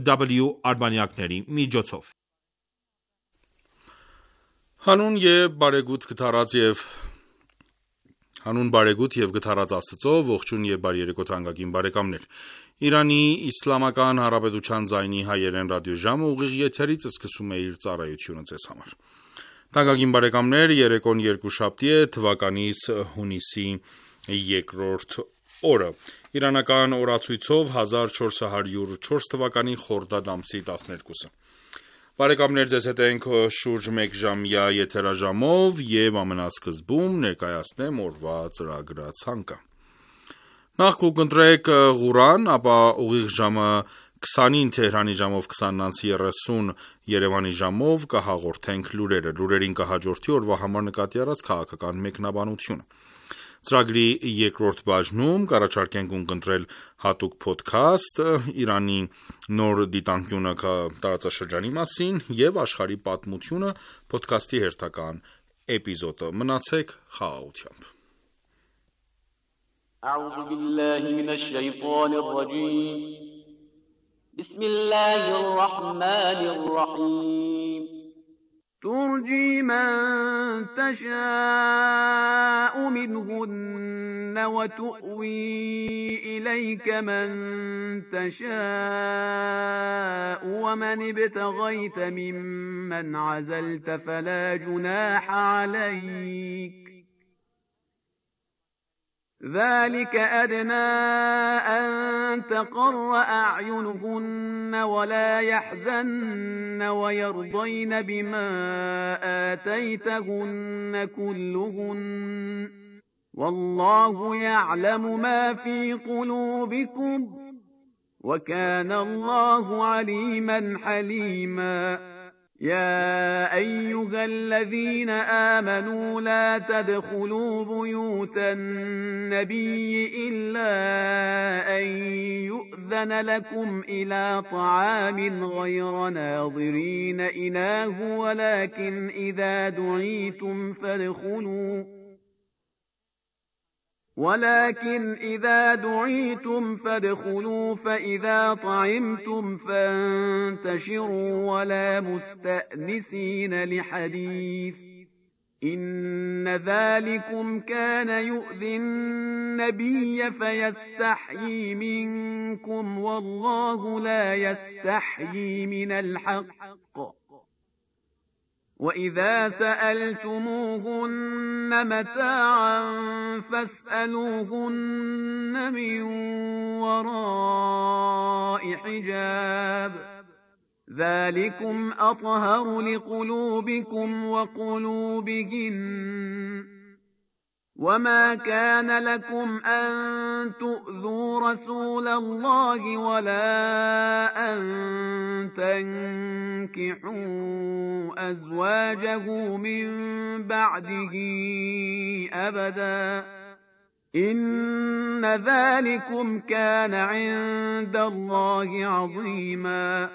W արբանյակների միջոցով։ Հանուն բարեգութ և գթառած Աստծո, ողջույն և բարի երեկո թանկագին բարեկամներ: Իրանի Իսլամական Հանրապետության ձայնի հայերեն ռադիոժամը ուղիղ եթերից սկսում է իր ծառայությունը ձեզ համար: Թանկագին բարեկամներ, երեկոն երկուշաբթի է, թվականիս հունիսի 2-րդ օրը: Իրանական օրացույցով 1404 թվականի խորդադ ամսի 12-ը: Բարեկամներ, ձեզ հետ ենք շուրջ մեկ ժամյա եթերաժամով և ամենասկզբում ներկայացնեմ օրվա ծրագրացանկը: Նախ կընտրեք Ղուրան, ապա ուղիղ ժամը 20-ին Թեհրանի ժամով 20:30 Երևանի ժամով կհաղորդենք լուրերը: Լուրերին կհաջորդի օրվա համար նկատի առած քաղաքական մեկնաբանությունը: Ծրագրի երկրորդ բաժնում կառաջարկենք ունկնդրել հատուկ փոդքասթ Իրանի նոր դիտանկյունը տարածաշրջանի մասին և աշխարհի պատմությունը փոդքասթի հերթական էպիզոդը: Մնացեք խաղաղությամբ: ترجي من تشاء منهن وتؤوي إليك من تشاء ومن ابتغيت ممن عزلت فلا جناح عليك ذلك أدنى أن تقر أعينهن ولا يحزن ويرضين بما آتيتهن كلهن والله يعلم ما في قلوبكم وكان الله عليما حليما يا أيها الذين آمنوا لا تدخلوا بيوت النبي إلا أن يؤذن لكم إلى طعام غير ناظرين إناه ولكن إذا دعيتم فادخلوا فإذا طعمتم فانتشروا ولا مستأنسين لحديث إن ذلكم كان يؤذي النبي فيستحيي منكم والله لا يستحيي من الحق وإذا سألتموهن متاعا فاسألوهن من وراء حجاب ذلكم أطهر لقلوبكم وقلوبهن وما كان لكم أن تؤذوا رسول الله ولا أن تنكحوا أزواجه من بعده أبدا إن ذلكم كان عند الله عظيما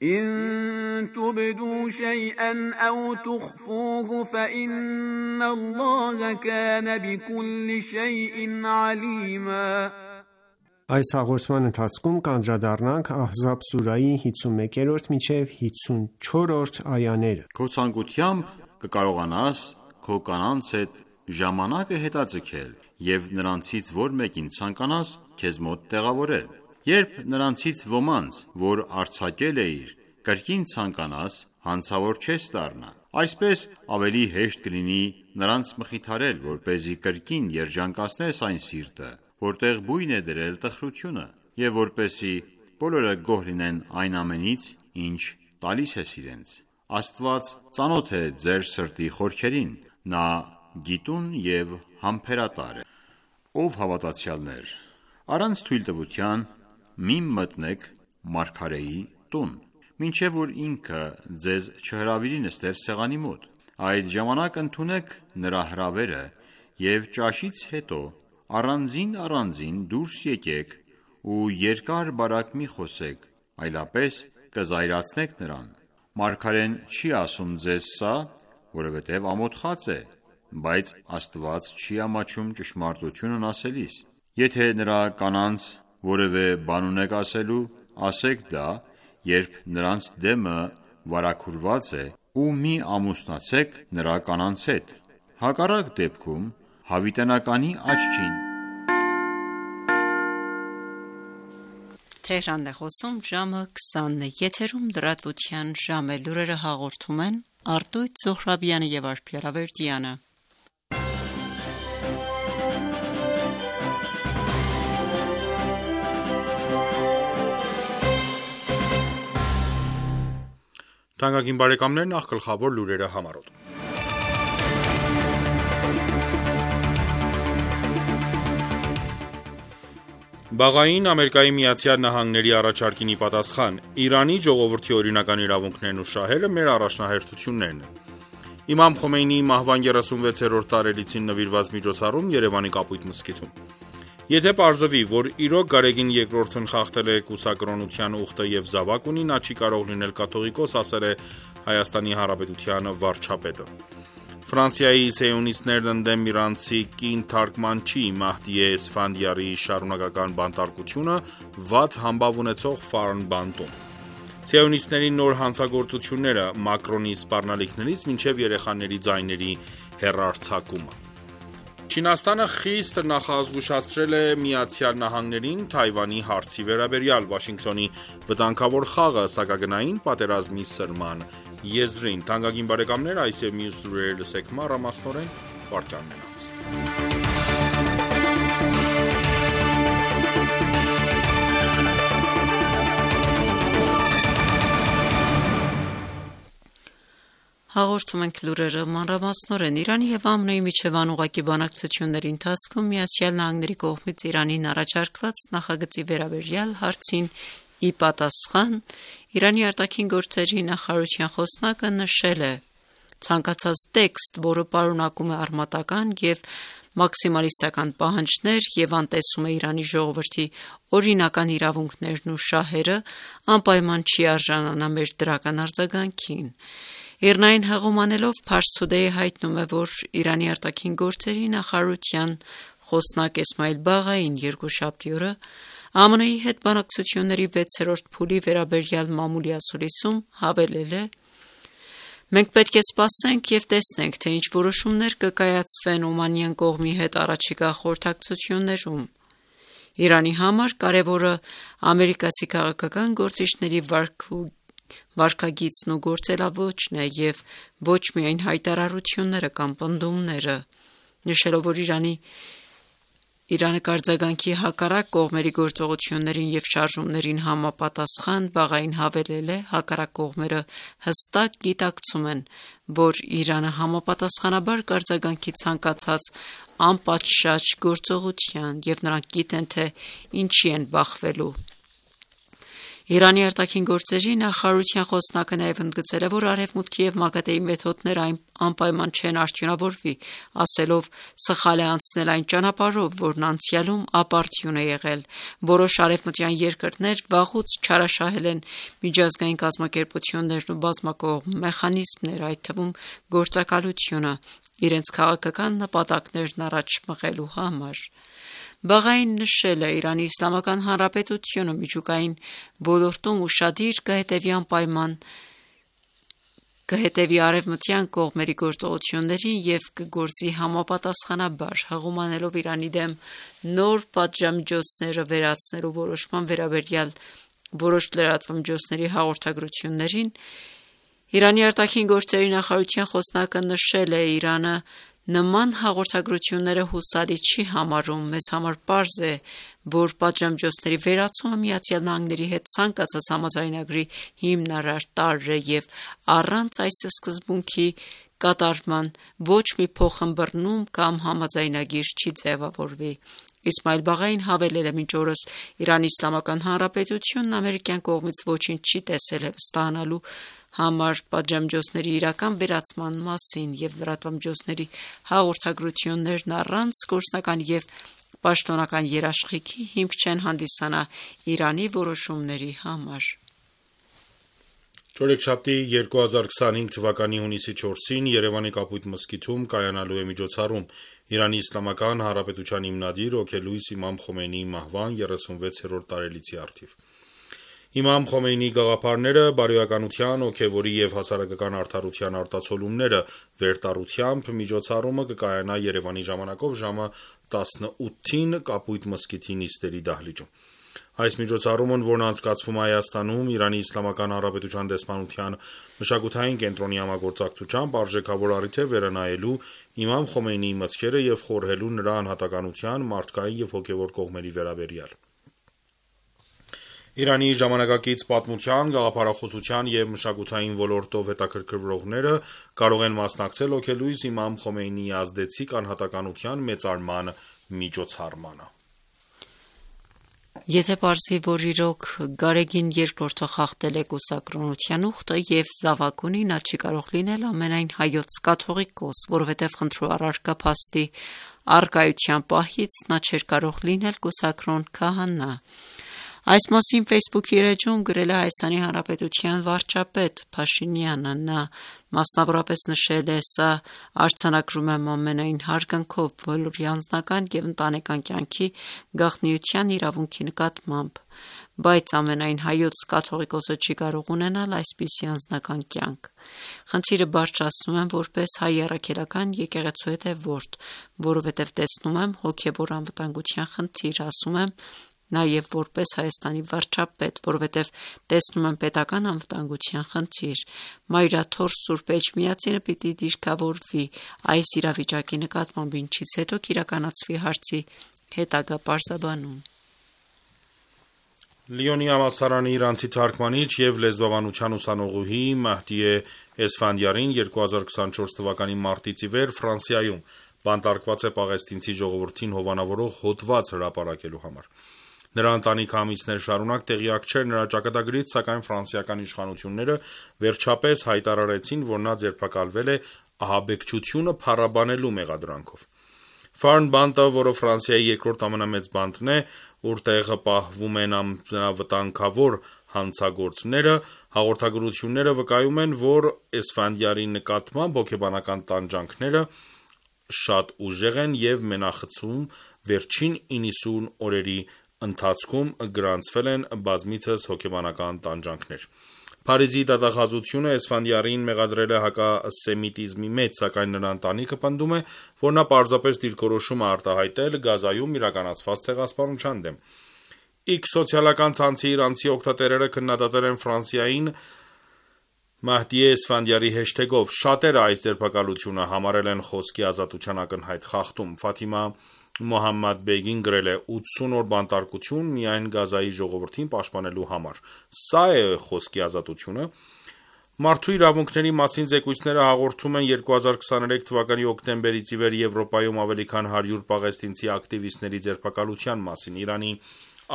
إن تبدوا شيئا أو تخفوه فإن الله كان بكل شيء عليما Այս հաղորդման ընթացքում կանդրադառնանք Ահզաբ սուրայի 51-րդ մինչև 54-րդ այաները: Քո ցանկությամբ կկարողանաս քո կանանց հետ ժամանակը հետաձգել և նրանցից որ մեկին ցանկանաս քեզ մոտ տեղավորել: Երբ նրանցից ոմանց, որ արձակել էիր, կրկին ցանկանաս, հանցավոր չես դառնա: Այսպես ավելի հեշտ կլինի նրանց մխիթարել, որպեսզի կրկին երջանկացնես այն սիրտը, որտեղ բույն է դրել տխրությունը, և որպեսզի բոլորը գոհ լինեն այն ամենից, ինչ տալիս ես իրենց: Աստված ծանոթ է ձեր սրտի խորքերին, նա գիտուն և համբերատար է: Ով հավատացյալներ, առանց թույլտվության մի մտնեք մարգարեի տուն, մինչև որ ինքը ձեզ չհրավիրի նստել սեղանի մոտ: Այդ ժամանակ ընդունեք նրա հրավերը և ճաշից հետո առանձին դուրս եկեք ու երկար-բարակ մի խոսեք, այլապես կզայրացնեք նրան: Մարգարեն չի ասում ձեզ սա, որովհետև ամոթխած է, բայց Աստված չի ամաչում ճշմարտությունն ասելիս: Եթե նրա կանանց որևէ բան ունեք ասելու, ասեք դա, երբ նրանց դեմը վարագուրված է, ու մի ամուսնացեք նրա կանանց հետ։ Հակառակ դեպքում հավիտենականի աչքին։ Թեհրանն է խոսում, ժամը 20-ն է, եթերում լրատվության ժամ է, լուրերը հաղորդում են Արտույտ Զոհրաբյանը և Արփիա Ռավերդյանը։ Թանկագին բարեկամներ, նախ գլխավոր լուրերը համարոտ։ Բաղային Ամերիկայի Միացյալ Նահանգների առաջարկին ի պատասխան, Իրանի ժողովրդի օրինական իրավունքներն ու շահերը մեր առաջնահերթություններն են։ Իմամ Խոմեյնիի մահվան 36-րդ տարելիցին նվիրված միջոցառում Երևանի Կապույտ մզկիթում։ Եթե պարզվի, որ իրոք Գարեգին II-ն խախտել է կուսակրոնության ուխտը եւ զավակ ունի, նա չի կարող լինել կաթողիկոս, ասել է Հայաստանի Հանրապետության վարչապետը։ Ֆրանսիայի սիոնիստներն ընդդեմ իրանցի կին թարգմանչի Մահդիե Էսֆանդիարի շարունակական բանտարկությունը վատ համբավ ունեցող Ֆարն բանտում։ Սիոնիստների նոր հանցագործությունները Մակրոնի սպառնալիքներից մինչև երեխաների ձայների հեռարձակումը։ Չինաստանը խիստ նախազգուշացրել է Միացյալ Նահանգներին Թայվանի հարցի վերաբերյալ Վաշինգտոնի վտանգավոր խաղը սակագնային պատերազմի սրման եզրին։ Թանկագին բարեկամներ, այս եւ մյուս լուրերը լսեք մանրամասնորեն վարքյանն անց։ Հաղորդում ենք լուրերը մանրամասնորեն։ Իրանի և ԱՄՆ-ի միջև անուղղակի բանակցությունների ընթացքում Միացյալ Նահանգների կողմից Իրանին առաջարկված նախագծի վերաբերյալ հարցին ի պատասխան Իրանի արտաքին գործերի նախարարության խոսնակը նշել է. ցանկացած տեքստ, որը պարունակում է արմատական և մաքսիմալիստական պահանջներ և անտեսում է Իրանի ժողովրդի օրինական իրավունքներն ու շահերը, անպայման չի արժանանա մեր դրական արձագանքին։ Իռնային հղում անելով Pars Today-ը հայտնում է, որ Իրանի արտաքին գործերի նախարարության խոսնակ Էսմայիլ Բաղային երկուշաբթի օրը ԱՄՆ-ի հետ բանակցությունների 6-րդ փուլի վերաբերյալ մամուլի ասուլիսում հավելել է. «Մենք պետք է սպասենք և տեսնենք, թե ինչ որոշումներ կկայացվեն օմանյան կողմի հետ առաջիկա խորհրդակցություններում։ Իրանի համար կարևորը ամերիկացի քաղաքական գործիչների վարքագիծն ու գործելաոճն է և ոչ միայն հայտարարությունները կամ պնդումները», նշելով, որ Իրանը կարձագանքի հակառակ կողմերի գործողություններին և շարժումներին համապատասխան Բաղային հավելել է. «Հակառակ կողմերը հստակ գիտակցում են, որ Իրանը համապատասխանաբար կարձագանքի ցանկացած անպատշաճ գործողության և նրանք գիտեն, թե ինչի են բախվելու»։ Իրանի արտաքին գործերի նախարարության խոսնակը նաև ընդգծել է, որ Արևմուտքի և ՄԱԳԱՏԷ-ի մեթոդները անպայման չեն արդյունավորվի, ասելով. «Սխալ է անցնել այն ճանապարհով, որն անցյալում ապարդյուն է եղել։ Որոշ արևմտյան երկրներ վաղուց չարաշահել են միջազգային կազմակերպություններն ու բազմակողմ մեխանիզմները, այդ թվում գործակալությունը, իրենց քաղաքական նպատակներն առաջ մղելու համար»։ Բաղային նշել է. «Իրանի Իսլամական Հանրապետությունը միջուկային ոլորտում ուշադիր կհետևի արևմտյան կողմերի գործողություններին և կգործի համապատասխանաբար»։ Հղում անելով Իրանի դեմ նոր պատժամիջոցները վերացնելու որոշման վերաբերյալ որոշ լրատվամիջոցների հաղորդագրություններին, Իրանի արտաքին գործերի նախարարության խոսնակը նշել է. «Իրանը նման հաղորդագրությունները հուսալի չի համարում։ Մեզ համար պարզ է, որ պատժամիջոցների վերացումը Միացյալ Նահանգների հետ ցանկացած համաձայնագրի հիմնարար տարր է և առանց այս սկզբունքի կատարման ոչ մի փոխըմբռնում կամ համաձայնագիր չի ձևավորվի»։ Իսմայիլ Բաղային հավելել է. «Մինչ օրս Իրանի Իսլամական Հանրապետությունն ամերիկյան կողմից ոչինչ չի տեսել վստահանալու համար պատժամիջոցների իրական վերացման մասին, և լրատվամիջոցների հաղորդագրություններն առանց գործնական և պաշտոնական երաշխիքի հիմք չեն հանդիսանա Իրանի որոշումների համար»։ Չորեքշաբթի 2025 թվականի հունիսի 4-ին Երևանի Կապույտ մզկիթում կայանալու է միջոցառում Իրանի Իսլամական Հանրապետության հիմնադիր հոգելույս Իմամ Խոմեյնիի մահվան 36-րդ տարելիցի առթիվ։ Իմամ Խոմեյնիի գաղափարները, բարոյականության, հոգևորի և հասարակական արդարության արտացոլումները վերտառությամբ միջոցառումը կկայանա Երևանի ժամանակով ժամը 18-ին Կապույտ մզկիթի նիստերի դահլիճում։ Այս միջոցառումն, որն անցկացվում է Հայաստանում Իրանի Իսլամական Հանրապետության դեսպանության մշակութային կենտրոնի համագործակցությամբ, արժեքավոր առիթ է վերանայելու Իմամ Խոմեյնիի մտքերը և խորհելու նրա անհատականության, մարդկային և հոգևոր կողմերի վերաբերյալ։ Իրանի ժամանակակից պատմության, գաղափարախոսության և մշակութային ոլորտով հետաքրքրվողները կարող են մասնակցել հոգելույս Իմամ Խոմեյնիի ազդեցիկ անհատականության մեծարման միջոցառմանը։ Եթե պարզվի, որ իրոք Գարեգին II խախտել է կուսակրոնության ուխտը և զավակ ունի, նա չի կարող լինել ամենայն հայոց կաթողիկոս, որովհետև խնդրու առարկա փաստի առկայության պահից նա չէր կարող լինել կուսակրոն քահանա։ Այս մասին Facebook-ի էջում գրել է Հայաստանի Հանրապետության վարչապետ Փաշինյանը։ Նա մասնավորապես նշել է. «Սա արձանագրում եմ ամենայն հարգանքով բոլորի անձնական և ընտանեկան կյանքի գաղտնիության իրավունքի նկատմամբ, բայց ամենայն հայոց կաթողիկոսը չի կարող ունենալ այսպիսի անձնական կյանք։ Խնդիրը բարձրացնում եմ որպես հայ առաքելական եկեղեցու հետևորդ, որովհետև տեսնում եմ հոգևոր անվտանգության խնդիր, ասում եմ նաև որպես Հայաստանի վարչապետ, որովհետև տեսնում եմ պետական անվտանգության խնդիր։ Մայրաթորս Սուրբ Էջմիածինը պիտի դիրքավորվի այս իրավիճակի նկատմամբ, ինչից հետո կիրականացվի հարցի հետագա պարզաբանում»։ Լիոնի համալսարանի իրանցի թարգմանիչ և լեզվաբանության ուսանողուհի Մահդիե Էսֆանդիարին 2024 թվականի մարտից ի վեր Ֆրանսիայում բանտարկված է պաղեստինցի ժողովրդին հովանավորող հոդված հրապարակելու համար։ Նրա ընտանիքը ամիսներ շարունակ տեղյակ չէր նրա ճակատագրից, սակայն ֆրանսիական իշխանությունները վերջապես հայտարարեցին, որ նա ձերբակալվել է ահաբեկչությունը փառաբանելու մեղադրանքով։ Ֆարն բանտը, որը Ֆրանսիայի երկրորդ ամենամեծ բանտն է, ուր տեղը պահվում են ամենավտանգավոր հանցագործները, հաղորդագրությունները վկայում են, որ Էսֆանդիարի նկատմամբ հոգեբանական տանջանքները շատ ուժեղ են և մենախցում վերջին 90 օրերի ընթացքում գրանցվել են բազմիցս հոգեբանական տանջանքներ։ Փարիզի դատախազությունը Էսֆանդիարին մեղադրել է հակասեմիտիզմի մեջ, սակայն նրա ընտանիքը պնդում է, որ նա պարզապես դիրքորոշում է արտահայտել Գազայում իրականացված ցեղասպանության դեմ։ X սոցիալական ցանցի իրանցի օգտատերերը քննադատել են Ֆրանսիային Մահդիե Էսֆանդիարի հեշթեգով։ Շատերը այս ձերբակալությունը համարել են խոսքի ազատության ակնհայտ խախտում։ Ֆաթիմա Մոհամմադ Բեգին գրել է. 80 օր բանտարկություն միայն Գազայի ժողովրդին պաշտպանելու համար։ Սա է խոսքի ազատությունը։ Մարդու իրավունքների մասին զեկույցները հաղորդում են 2023 թվականի հոկտեմբերից ի վեր Եվրոպայում ավելի քան 100 պաղեստինցի ակտիվիստների ձերբակալության մասին։ Իրանի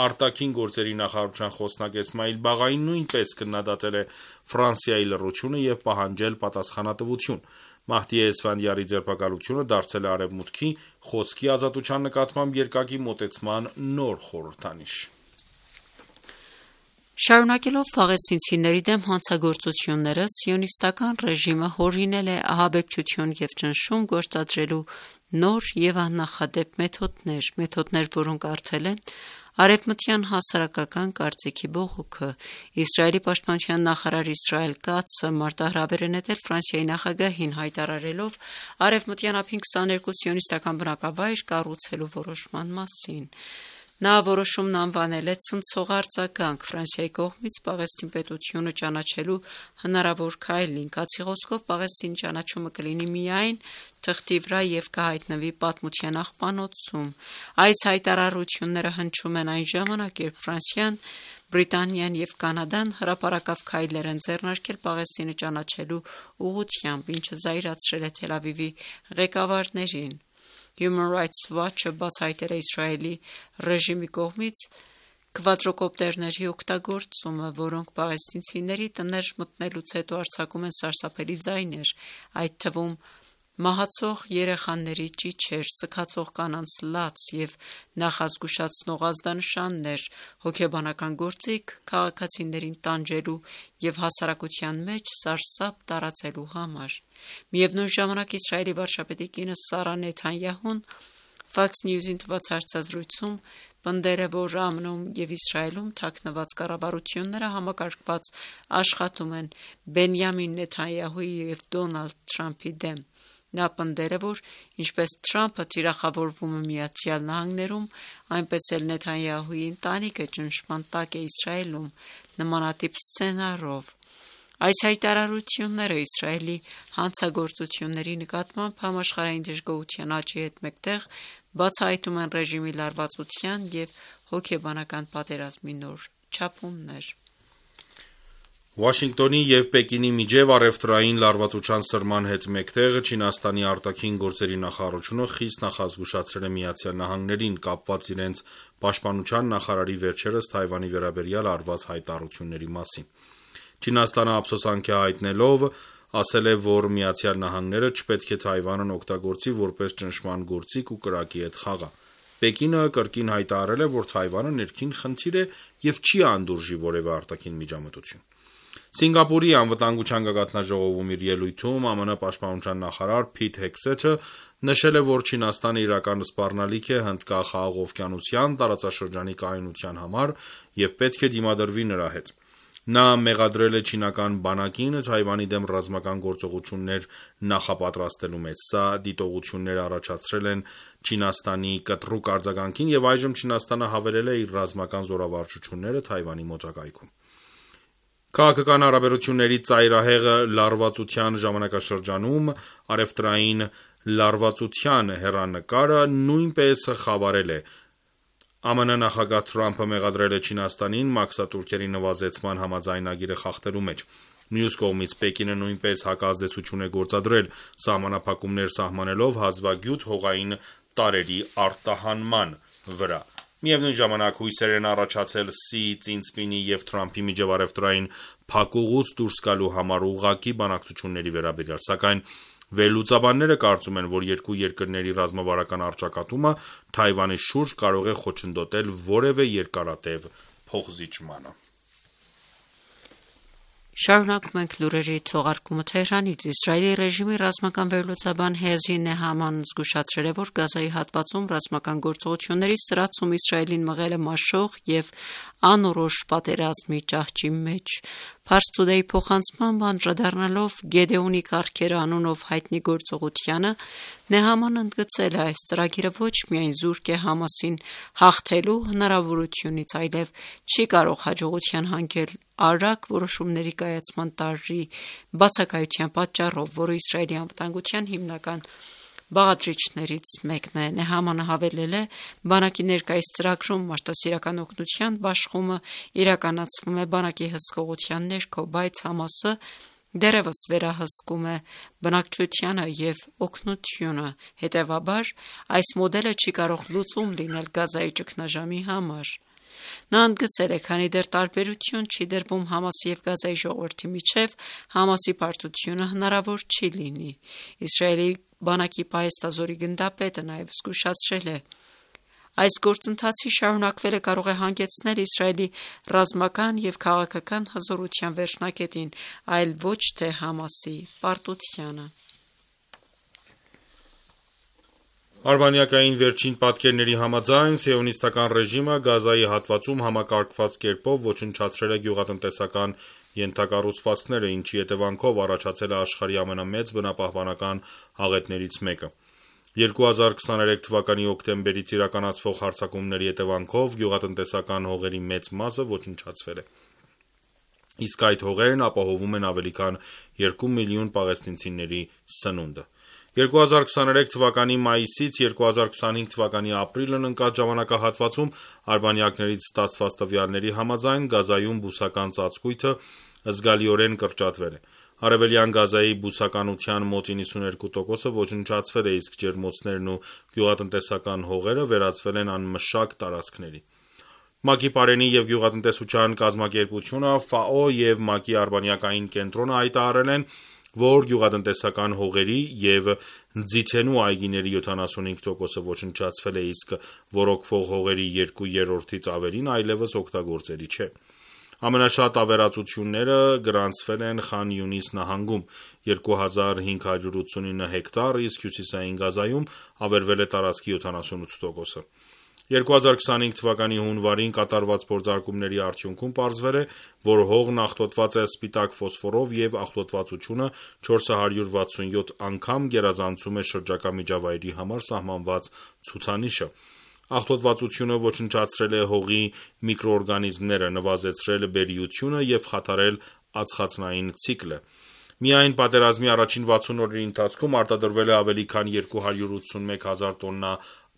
արտաքին գործերի նախարարության խոսնակ Էսմայիլ Բաղային նույնպես քննադատել է Ֆրանսիայի լռությունը և պահանջել պատասխանատվություն։ Մահդիե Էսֆանդիարի ձերբակալությունը դարձել է Արևմուտքի խոսքի ազատության նկատմամբ երկակի մոտեցման նոր խորհրդանիշ։ Շարունակելով պաղեստինցիների դեմ հանցագործությունները, սիոնիստական ռեժիմը հորինել է ահաբեկչություն և ճնշում գործադրելու նոր և աննախադեպ մեթոդներ, որոնք առթել են արևմտյան հասարակական կարծիքի բողոքը։ Իսրայելի պաշտպանության նախարար Իսրայել Կացը մարտահրավեր է նետել Ֆրանսիայի նախագահին, հայտարարելով արևմտյան ափին 22 սիոնիստական բնակավայր կառուցելու որոշման մասին։ Նա որոշումն անվանել է ցնցող արձագանք Ֆրանսիայի կողմից Պաղեստին պետությունը ճանաչելու հնարավոր քայլին։ Կացի խոսքով Պաղեստինի ճանաչումը կլինի միայն թղթի վրա և կհայտնվի պատմության աղբանոցում։ Այս հայտարարությունները հնչում են այն ժամանակ, երբ Ֆրանսիան, Բրիտանիան և Կանադան հրապարակավ քայլեր են ձեռնարկել Պաղեստինը ճանաչելու ուղղությամբ, ինչը զայրացրել է Թել Ավիվի ղեկավարներին։ Human Rights Watch-ը բացահայտել է Իսրայելի ռեժիմի կողմից քվադրոկոպտերների օգտագործումը, որոնք պաղեստինցիների տներ մտնելուց հետո արձակում են սարսափելի ձայներ, այդ թվում Մահացող երեխաների ճիչեր, սգացող կանանց լաց և նախազգուշացնող ազդանշաններ, հոգեբանական գործիք քաղաքացիներին տանջելու և հասարակության մեջ սարսափ տարածելու համար։ Միևնույն ժամանակ Իսրայելի վարչապետի կինը Սարա Նեթանյահուն Fox News-ին տված հարցազրույցում պնդել է, որ ԱՄՆ-ում և Իսրայելում թաքնված կառավարությունները համակարգված աշխատում են Բենյամին Նեթանյահուի և Դոնալդ Թրամփի դեմ։ Նա պնդել է, որ ինչպես Թրամփը թիրախավորվում է ԱՄՆ-ում, այնպես էլ Նեթանյահուի ընտանիքը ճնշման տակ է Իսրայելում նմանատիպ սցենարով։ Այս հայտարարությունները Իսրայելի հանցագործությունների նկատմամբ համաշխարհային դժգոհության աճի հետ մեկտեղ բացահայտում են ռեժիմի լարվածության և հոգեբանական պատերազմի նոր չափումներ։ Վաշինգտոնի և Պեկինի միջև առևտրային լարվածության սրման հետ մեկտեղ Չինաստանի արտաքին գործերի նախարարությունը խիստ նախազգուշացրել է ԱՄՆ-ին կապված իրենց պաշտպանության նախարարի վերջերս Թայվանի վերաբերյալ արված հայտարարությունների մասին։ Չինաստանը ափսոսանք է հայտնելով ասել է, որ ԱՄՆ-ն չպետք է Թայվանն օգտագործի որպես ճնշման գործիք ու կրակի հետ խաղա։ Պեկինը կրկին հայտարարել է, որ Թայվանը ներքին խնդիր է և չի անդուրժի որևէ արտաքին միջամտություն։ Սինգապուրի անվտանգության գագաթնաժողովում իր ելույթում ԱՄՆ պաշտպանության նախարար Փիթ Հեքսեթը նշել է, որ Չինաստանը իրական սպառնալիք է Հնդկախաղ օվկիանոսյան տարածաշրջանի կայունության համար և պետք է դիմադրվի նրա հետ։ Նա մեղադրել է չինական բանակին Թայվանի դեմ ռազմական գործողություններ նախապատրաստելու մեջ։ Սա դիտողություններ առաջացրել են Չինաստանի կտրուկ արձագանքին և այժմ Չինաստանը հավելել է իր ռազմական զորավարժությունները Թայվանի մոտակայքում։ Քաղաքական հարաբերությունների ծայրահեղ լարվածության ժամանակաշրջանում առևտրային լարվածության հեռանկարը նույնպես խավարել է։ ԱՄՆ նախագահ Թրամփը մեղադրել է Չինաստանին մաքսատուրքերի նվազեցման համաձայնագիրը խախտելու մեջ։ Մյուս կողմից Պեկինը նույնպես հակազդեցություն է գործադրել, սահմանափակումներ սահմանելով հազվագյուտ հողային տարրերի արտահանման վրա։ Միևնույն ժամանակ հույսեր են առաջացել Սի Ծինսպինի և Թրամփի միջև առևտրային փակուղուց դուրս գալու համար ուղղակի բանակցությունների վերաբերյալ, սակայն վերլուծաբանները կարծում են, որ երկու երկրների ռազմավարական առճակատումը Թայվանի շուրջ կարող է խոչընդոտել որևէ երկարատև փոխզիջմանը։ Շարունակում ենք լուրերի թողարկումը Թեհրանից։ Իսրայելի ռեժիմի ռազմական վերլուծաբան Հեզի Նեհամանն զգուշացրել է, որ Գազայի հատվածում ռազմական գործողությունների սրացում Իսրայելին մղել է մաշող և անորոշ պատերազմի ճահճի մեջ։ Pars Today փոխանցմամբ անդրադառնալով Գեդեոնի կառքերը անունով հայտնի գործողությանը, Նեհամանն ընդգծել է, այս ծրագիրը ոչ միայն զուրկ է Համասին հաղթելու հնարավորությունից, այլև չի կարող հաջողության հանգել արագ որոշումների կայացման տարրի բացակայության պատճառով, որը Իսրայելի անվտանգության հիմնական բաղադրիչներից մեկն է։ Նեհամանը հավելել է, բանակի ներկայիս ծրագրում մարդասիրական օգնության բաշխումը իրականացվում է բանակի հսկողության ներքո, բայց Համասը դեռևս վերահսկում է բնակչությանը և օգնությունը, հետևաբար այս մոդելը չի կարող լուծում լինել Գազայի ճգնաժամի համար։ Նա ընդգծել է, քանի դեռ տարբերություն չի դրվում Համասի և Գազայի ժողովրդի միջև, Համասի պարտությունը հնարավոր չի լինի։ Իսրայելի բանակի պահեստազորի գնդապետը նաև զգուշացրել է. այս գործընթացի շարունակվելը կարող է հանգեցնել Իսրայելի ռազմական և քաղաքական հզորության վերջնակետին, այլ ոչ թե Համասի պարտությանը։ Արբանյակային վերջին պատկերների համաձայն սիոնիստական ռեժիմը Գազայի հատվածում համակարգված կերպով ոչնչացրել է գյուղատնտեսական ենթակառուցվածքները, ինչի հետևանքով առաջացել է աշխարհի ամենամեծ բնապահպանական աղետներից մեկը։ 2023 թվականի հոկտեմբերից իրականացվող հարձակումների հետևանքով գյուղատնտեսական հողերի մեծ մասը ոչնչացվել է։ Իսկ այդ հողերն ապահովում են ավելի քան 2 միլիոն պաղեստինցիների սնունդը։ 2023 թվականի մայիսից 2025 թվականի ապրիլն ընկած ժամանակահատվածում արբանյակներից ստացված տվյալների համաձայն Գազայում բուսական ծածկույթը զգալիորեն կրճատվել է։ Արևելյան Գազայի բուսականության մոտ 92%-ը ոչնչացվել է, իսկ ջերմոցներն ու գյուղատնտեսական հողերը վերածվել են անմշակ տարածքների։ ՄԱԿ-ի պարենի և գյուղատնտեսության կազմակերպությունը, ՖԱՕ և ՄԱԿ-ի արբանյակային կենտրոնը հայտարարել են, որ գյուղատնտեսական հողերի և ձիթենու այգիների 75%-ը ոչնչացվել է, իսկ ոռոգվող հողերի 2/3-ից ավելին այլևս օգտագործելի չէ։ Ամենաշատ ավերածությունները գրանցվել են Խան Յունիս նահանգում՝ 2589 հեկտար, իսկ հյուսիսային Գազայում ավերվել է տարածքի 78%-ը։ 2025 թվականի հունվարին կատարված փորձարկումների արդյունքում պարզվել է, որ հողն աղտոտված է սպիտակ ֆոսֆորով և աղտոտվածությունը 467 անգամ գերազանցում է շրջակա միջավայրի համար սահմանված ցուցանիշը։ Աղտոտվածությունը ոչնչացրել է հողի միկրոօրգանիզմները, նվազեցրել բերիությունը և խաթարել ածխածնային ցիկլը։ Միայն պատերազմի առաջին 60 օրերի ընթացքում արտադրվել է ավելի քան 281 հազար տոննա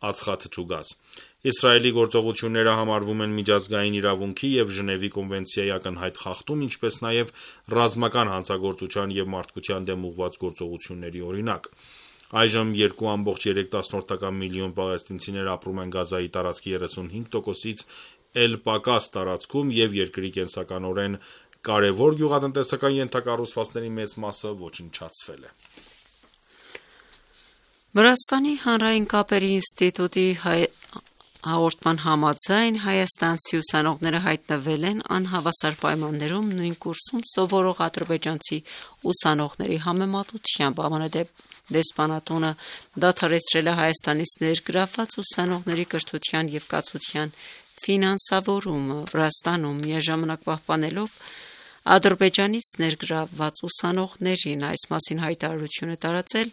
ածխաթթու գազ։ Իսրայելի գործողությունները համարվում են միջազգային իրավունքի և Ժնևի կոնվենցիայի ակնհայտ խախտում, ինչպես նաև ռազմական հանցագործության և մարդկության դեմ ուղղված գործողությունների օրինակ։ Այժմ 2,3 միլիոն պաղեստինցիներ ապրում են Գազայի տարածքի 35%-ից էլ պակաս տարածքում և երկրի կենսականորեն կարևոր գյուղատնտեսական ենթակառուցվածքների մեծ մասը ոչնչացվել է։ Վրաստանի հանրային կապերի ինստիտուտի հաղորդման համաձայն հայաստանցի ուսանողները հայտնվել են անհավասար պայմաններում նույն կուրսում սովորող ադրբեջանցի ուսանողների համեմատությամբ։ ԱՄՆ դեսպանատունը դադարեցրել է Հայաստանից ներգրավված ուսանողների կրթության և կացության ֆինանսավորումը Վրաստանում, միաժամանակ պահպանելով Ադրբեջանից ներգրավված ուսանողներին։ Այս մասին հայտարարություն է տարածել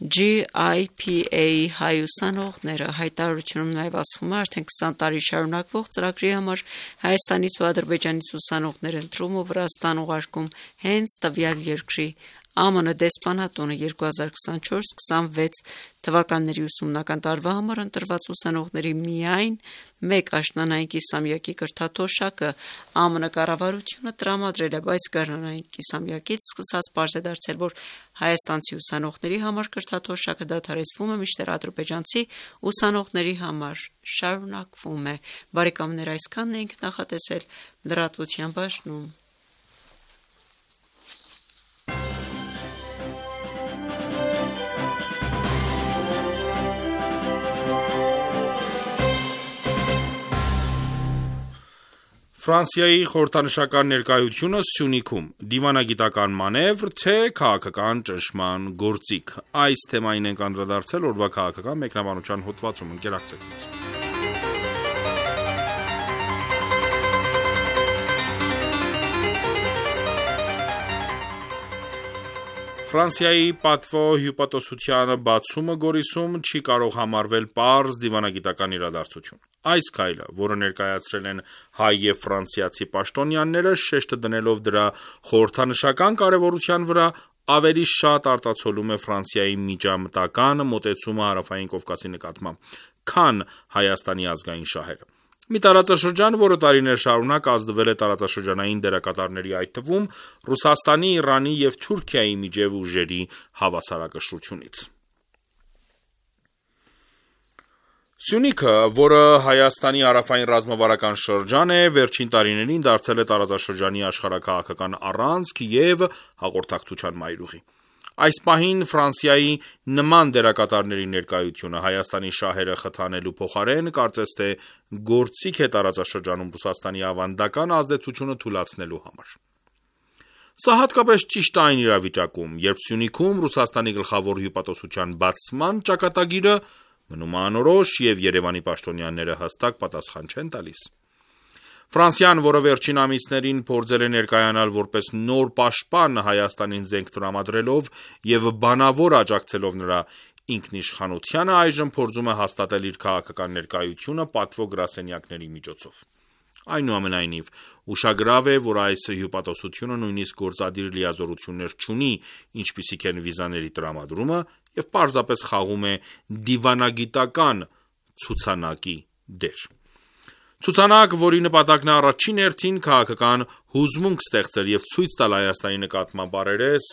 GIPA-ի հայ ուսանողները։ Հայտարարությունում նաև ասվում է, արդեն 20 տարի շարունակվող ծրագրի համար Հայաստանից ու Ադրբեջանից ուսանողներ ընտրում ու Վրաստան ուղարկում հենց տվյալ երկրի ԱՄՆ դեսպանատունը 2024-26 թվականների ուսումնական տարվա համար ընտրված ուսանողների միայն մեկ աշնանային կիսամյակի կրթաթոշակը ԱՄՆ կառավարությունը տրամադրել է, բայց գարնանային կիսամյակից սկսած պարզ է դարձել, որ հայաստանցի ուսանողների համար կրթաթոշակը դադարեցվում է, մինչդեռ ադրբեջանցի ուսանողների համար շարունակվում է։ Բարեկամներ, այսքանն ենք նախատեսել լրատվության բաժնում։ Ֆրանսիայի խորհրդանշական ներկայությունը Սյունիքում՝ դիվանագիտական մանևր, թե քաղաքական ճնշման գործիք։ Այս թեմային ենք անդրադարձել օրվա քաղաքական մեկնաբանության հոդվածում։ Ընկերակցեք մեզ։ Ֆրանսիայի պատվո հյուպատոսության բացումը Գորիսում չի կարող համարվել պարզ դիվանագիտական իրադարձություն։ Այս քայլը, որը ներկայացրել են հայ և ֆրանսիացի պաշտոնյաները, շեշտը դնելով դրա խորհրդանշական կարևորության վրա, ավելի շատ արտացոլում է Ֆրանսիայի միջամտական մոտեցումը Հարավային Կովկասի նկատմամբ, քան Հայաստանի ազգային շահերը։ Մի տարածաշրջան, որը տարիներ շարունակ ազդվել է տարածաշրջանային դերակատարների, այդ թվում Ռուսաստանի, Իրանի և Թուրքիայի միջև ուժերի հավասարակշռությունից։ Սյունիքը, որը Հայաստանի հարավային ռազմավարական շրջան է, վերջին տարիներին դարձել է տարածաշրջանի աշխարհաքաղաքական առանցք և հաղորդակցության մայրուղի։ Այս պահին Ֆրանսիայի նման դերակատարների ներկայությունը Հայաստանի շահերը խթանելու փոխարեն կարծես թե գործիք է տարածաշրջանում Ռուսաստանի ավանդական ազդեցությունը թուլացնելու համար։ Սա հատկապես ճիշտ է այն իրավիճակում, երբ Սյունիքում Ռուսաստանի գլխավոր հյուպատոսության բացման ճակատագիրը մնում է անորոշ և Երևանի պաշտոնյաները հստակ պատասխան չեն տալիս։ Ֆրանսիան, որը վերջին ամիսներին փորձել է ներկայանալ որպես նոր պաշտպան Հայաստանին զենք տրամադրելով և բանավոր աջակցելով նրա ինքնիշխանությանը, այժմ փորձում է հաստատել իր քաղաքական ներկայությունը պատվո գրասենյակների միջոցով։ Այնուամենայնիվ, ուշագրավ է, որ այս հյուպատոսությունը նույնիսկ գործադիր լիազորություններ չունի, ինչպիսիք են վիզաների տրամադրումը, և պարզապես խաղում է դիվանագիտական ցուցանակի դեր։ Ցուցանակ, որի նպատակն է առաջին հերթին քաղաքական հուզմունք ստեղծել և ցույց տալ Հայաստանի նկատմամբ առերես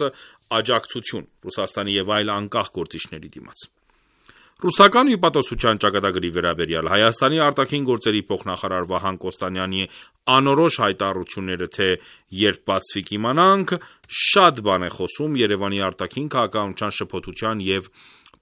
աջակցություն Ռուսաստանի և այլ անկախ գործիչների դիմաց։ Ռուսական հյուպատոսության ճակատագրի վերաբերյալ Հայաստանի արտաքին գործերի փոխնախարար Վահան Կոստանյանի անորոշ հայտարարությունները, թե երբ բացվի կիմանանք, շատ բան է խոսում Երևանի արտաքին քաղաքականության շփոթության և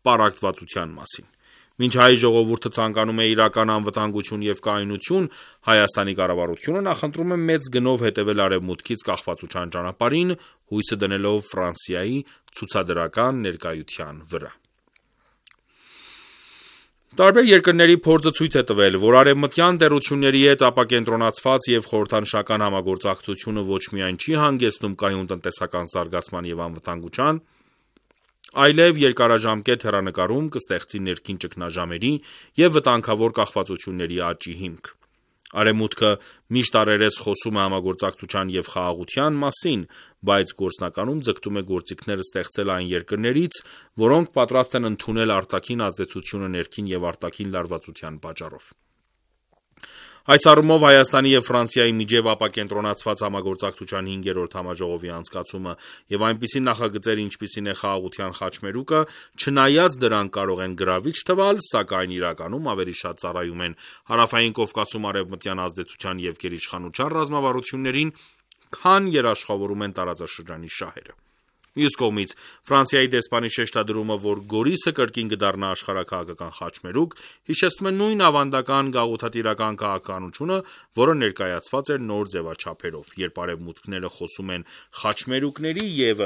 պառակտվածության մասին։ Մինչ հայ ժողովուրդը ցանկանում է իրական անվտանգություն և կայունություն, Հայաստանի կառավարությունը նախընտրում է մեծ գնով հետևել արևմուտքից կախվածության ճանապարհին, հույսը դնելով Ֆրանսիայի ցուցադրական ներկայության վրա։ Տարբեր երկրների փորձը ցույց է տվել, որ արևմտյան տերությունների հետ ապակենտրոնացված և խորհրդանշական համագործակցությունը ոչ միայն չի հանգեցնում կայուն տնտեսական զարգացման և անվտանգության, այլև երկարաժամկետ հեռանկարում կստեղծի ներքին ճգնաժամերի և վտանգավոր կախվածությունների աճի հիմք։ Արևմուտքը միշտ առերես խոսում է համագործակցության և խաղաղության մասին, բայց գործնականում ձգտում է գործիքներ ստեղծել այն երկրներից, որոնք պատրաստ են ընդունել արտաքին ազդեցությունը ներքին և արտաքին լարվածության պատճառով։ Այս առումով Հայաստանի և Ֆրանսիայի միջև ապակենտրոնացված համագործակցության 5-րդ համաժողովի անցկացումը և այնպիսի նախագծեր, ինչպիսին է խաղաղության խաչմերուկը, չնայած դրանք կարող են գրավիչ թվալ, սակայն իրականում ավելի շատ ծառայում են Հարավային Կովկասում արևմտյան ազդեցության և գերիշխանության ռազմավարություններին, քան երաշխավորում են տարածաշրջանի շահերը։ Մյուս կողմից, Ֆրանսիայի դեսպանի շեշտադրումը, որ Գորիսը կրկին կդառնա աշխարհաքաղաքական խաչմերուկ, հիշեցնում է նույն ավանդական գաղութատիրական քաղաքականությունը, որը ներկայացված էր նոր ձևաչափերով։ Երբ արևմուտքները խոսում են խաչմերուկների և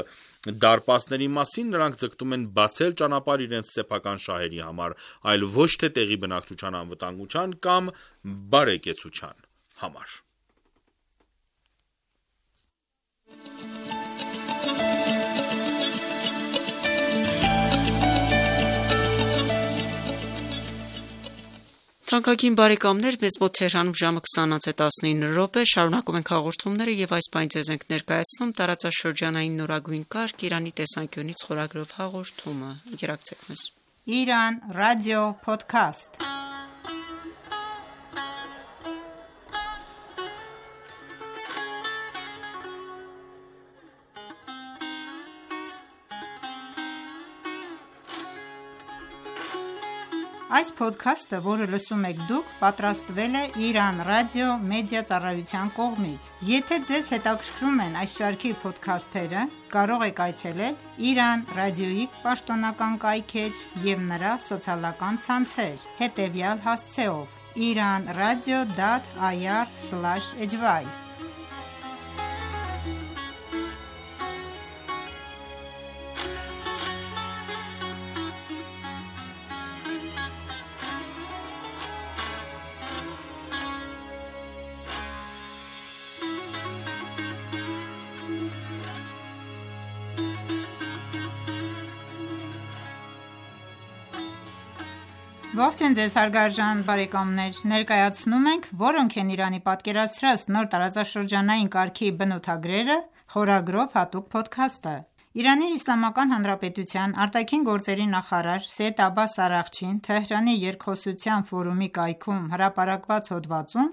դարպասների մասին, նրանք ձգտում են բացել ճանապարհ իրենց սեփական շահերի համար, այլ ոչ թե տեղի բնակչության անվտանգության կամ բարեկեցության համար։ Թանկագին բարեկամներ, մեզ մոտ Թեհրանում ժամը 20:19 շարունակում ենք հաղորդումները եւ այս բանի ձեզ ենք ներկայացնում տարածաշրջանային նորագույն կարգ Իրանի տեսանկյունից խորագրով հաղորդումը։ Ընկերակցեք մեզ։ Իրան ռադիո փոդքասթ։ Այս փոդքասթը, որը լսում եք դուք, պատրաստվել է Իրան ռադիո մեդիա ծառայության կողմից։ Եթե ձեզ հետաքրքրում են այս շարքի փոդքասթերը, կարող եք այցելել Իրան ռադիոյի պաշտոնական կայքէջ և նրա սոցիալական ցանցեր, հետևյալ հասցեով՝ iranradio.ir/hy Ողջույն ձեզ հարգարժան բարեկամներ, ներկայացնում ենք «Որոնք են Իրանի պատկերացրած նոր տարածաշրջանային կարգի բնութագրերը» խորագրով հատուկ փոդքասթը։ Իրանի Իսլամական Հանրապետության արտաքին գործերի նախարար Սեյեդ Աբբաս Արաղչին Թեհրանի երկխոսության ֆորումի կայքում հրապարակված հոդվածում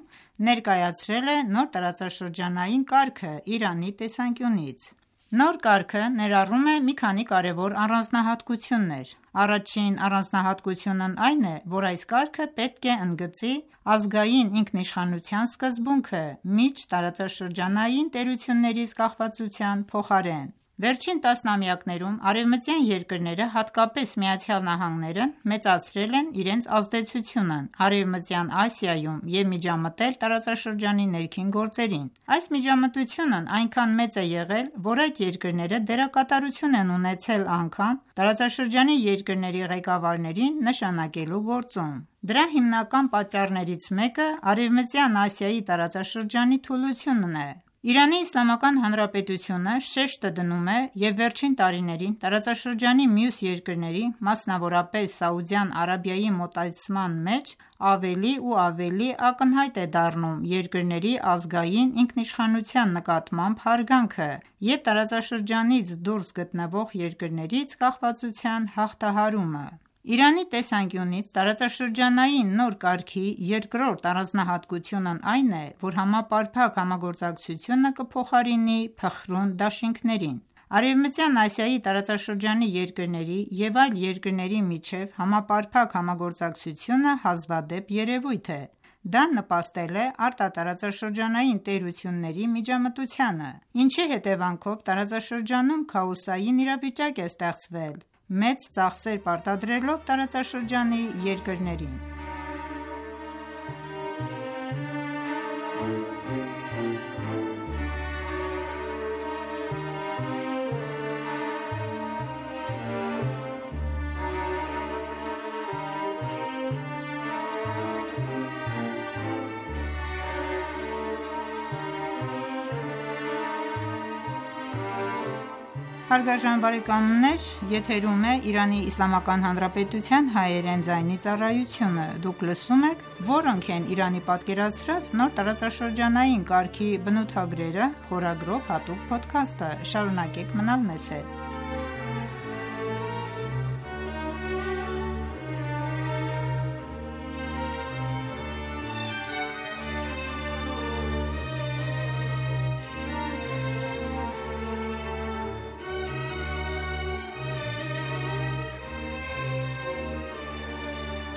ներկայացրել է նոր տարածաշրջանային կարգը Իրանի տեսանկյունից։ Նոր կարգը ներառում է մի քանի կարևոր առանձնահատկություններ։ Առաջին առանձնահատկությունն այն է, որ այս կարգը պետք է ընդգծի ազգային ինքնիշխանության սկզբունքը միջտարածաշրջանային տերություններից կախվածության փոխարեն։ Վերջին տասնամյակներում արևմտյան երկրները, հատկապես ԱՄՆ-ն, մեծացրել են իրենց ազդեցությունն Արևմտյան Ասիայում և միջամտել տարածաշրջանի ներքին գործերին։ Այս միջամտությունն այնքան մեծ է եղել, որ այդ երկրները դերակատարություն են ունեցել անգամ տարածաշրջանի երկրների ղեկավարներին նշանակելու գործում։ Դրա հիմնական պատճառներից մեկը Արևմտյան Ասիայի տարածաշրջանի թուլությունն է։ Իրանի Իսլամական Հանրապետությունը շեշտը դնում է և վերջին տարիներին տարածաշրջանի մյուս երկրների, մասնավորապես Սաուդյան Արաբիայի մոտեցման մեջ ավելի ու ավելի ակնհայտ է դառնում երկրների ազգային ինքնիշխանության նկատմամբ հարգանքը և տարածաշրջանից դուրս գտնվող երկրներից կախվածության հաղթահարումը։ Իրանի տեսանկյունից տարածաշրջանային նոր կարգի երկրորդ առանձնահատկությունն այն է, որ համապարփակ համագործակցությունը կփոխարինի փխրուն դաշինքներին։ Արևմտյան Ասիայի տարածաշրջանի երկրների և այլ երկրների միջև համապարփակ համագործակցությունը հազվադեպ երևույթ է։ Դա նպաստել է արտատարածաշրջանային տերությունների միջամտությանը, ինչի հետևանքով տարածաշրջանում քաոսային իրավիճակ է ստեղծվել, մեծ ծախսեր պարտադրելով տարածաշրջանի երկրներին։ Հարգարժան բարեկամներ, եթերում է Իրանի Իսլամական Հանրապետության հայերեն ձայնի ծառայությունը։ Դուք լսում եք «Որոնք են Իրանի պատկերացրած նոր տարածաշրջանային կարգի բնութագրերը» խորագրով հատուկ փոդքասթը։ Շարունակեք մնալ մեզ հետ։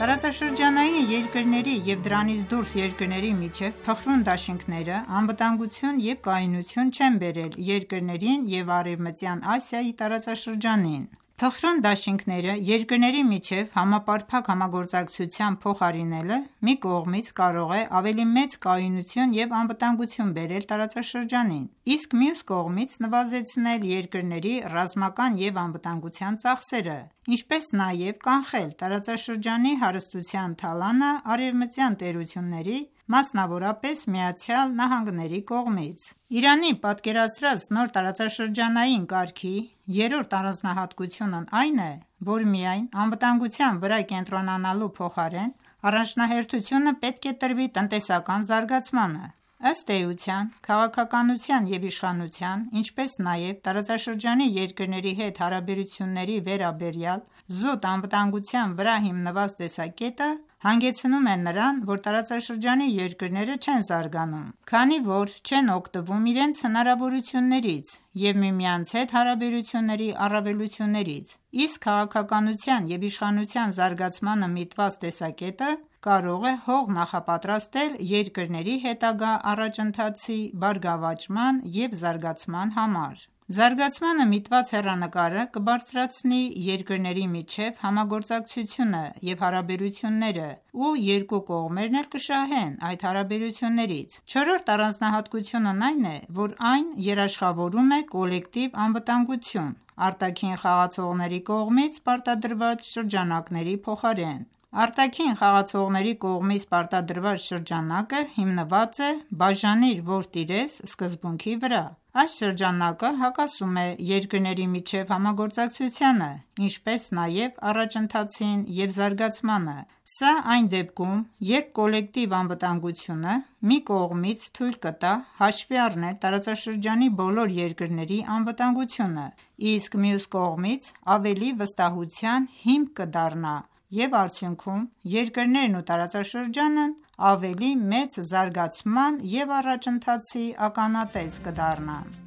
Տարածաշրջանային երկրների և դրանից դուրս երկրների միջև փխրուն դաշինքները անվտանգություն և կայունություն չեն բերել երկրներին և Արևմտյան Ասիայի տարածաշրջանին։ Փխրուն դաշինքները երկրների միջև համապարփակ համագործակցության փոխարինելը մի կողմից կարող է ավելի մեծ կայունություն և անվտանգություն բերել տարածաշրջանին, իսկ մյուս կողմից նվազեցնել երկրների ռազմական և անվտանգության ծախսերը, ինչպես նաև կանխել տարածաշրջանի հարստության թալանը արևմտյան տերությունների, մասնավորապես ԱՄՆ-ի կողմից։ Իրանի պատկերացրած նոր տարածաշրջանային կարգի երրորդ առանձնահատկությունն այն է, որ միայն անվտանգության վրա կենտրոնանալու փոխարեն առաջնահերթությունը պետք է տրվի տնտեսական զարգացմանը։ Ըստ էության, քաղաքականության և իշխանության, ինչպես նաև տարածաշրջանի երկրների հետ հարաբերությունների վերաբերյալ զուտ անվտանգության վրա հիմնված տեսակետը հանգեցնում է նրան, որ տարածաշրջանի երկրները չեն զարգանում, քանի որ չեն օգտվում իրենց հնարավորություններից և միմյանց հետ հարաբերությունների առավելություններից, իսկ քաղաքականության և իշխանության զարգացմանը միտված տեսակետը կարող է հող նախապատրաստել երկրների հետագա առաջընթացի բարգավաճման և զարգացման համար։ Զարգացմանը միտված հեռանկարը կբարձրացնի երկրների միջև համագործակցությունը և հարաբերությունները ու երկու կողմերն էլ կշահեն այդ հարաբերություններից։ Չորրորդ առանձնահատկությունն այն է, որ այն երաշխավորում է կոլեկտիվ անվտանգություն արտաքին խաղացողների կողմից պարտադրված շրջանակների փոխարեն։ Արտաքին խաղացողների կողմից պարտադրված շրջանակը հիմնված է «բաժանիր, որ տիրես» սկզբունքի վրա։ Այս շրջանակը հակասում է երկրների միջև համագործակցությանը, ինչպես նաև առաջընթացին և զարգացմանը։ Սա այն դեպքում, երբ կոլեկտիվ անվտանգությունը մի կողմից թույլ կտա հաշվի առնել տարածաշրջանի բոլոր երկրների անվտանգությունը, իսկ մյուս կողմից ավելի վստահության հիմք կդառնա և արդյունքում երկրներն ու տարածաշրջանն ավելի մեծ զարգացման և առաջընթացի ականատես կդառնան։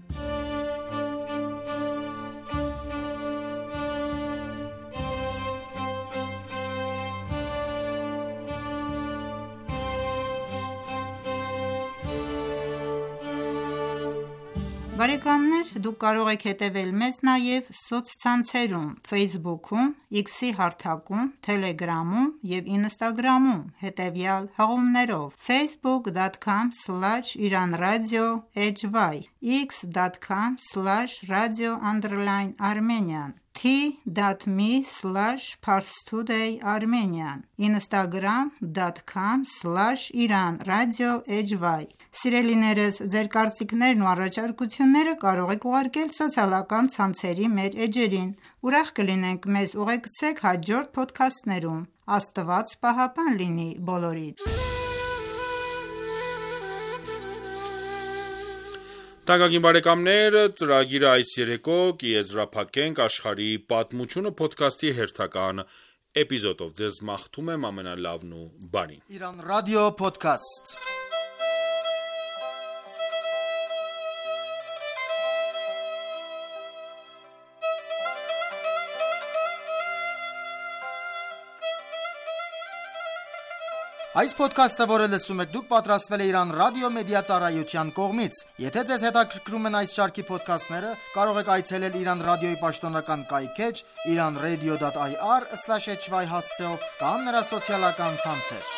Բարեկամներ, դուք կարող եք հետևել մեզ նաև սոցցանցերում Facebook-ում, X-ի հարթակում, Telegram-ում և Instagram-ում հետևյալ հղումներով՝ facebook.com/iranradio.hy, x.com/radio_armenian, t.me/parstoday_armenian, instagram.com/iranradio.hy։ Սիրելիներս, ձեր կարծիքներն ու առաջարկությունները կարող եք ուղարկել սոցիալական ցանցերի մեր էջերին։ Ուրախ կլինենք մեզ ուղեկցեք հաջորդ փոդքասթներում։ Աստված պահապան լինի բոլորիդ։ Թանկագին բարեկամներ, ծրագիրը այս երեկո կեզրափակենք աշխարհի պատմությունը փոդքասթի հերթական էպիզոդով։ Ձեզ մաղթում եմ ամենալավն ու բարին։ Iran Radio Podcast Այս ոդքասթը, որը լսում եք դուք, պատրաստվել է Իրան ռադիո մեդիա ծառայության կողմից։ Եթե ձեզ հետաքրքրում են այս շարքի ոդքասթները, կարող եք այցելել Իրան ռադիոյի պաշտոնական կայքէջ iranradio.ir/hy հասցեով կամ նրա սոցիալական ցանցեր։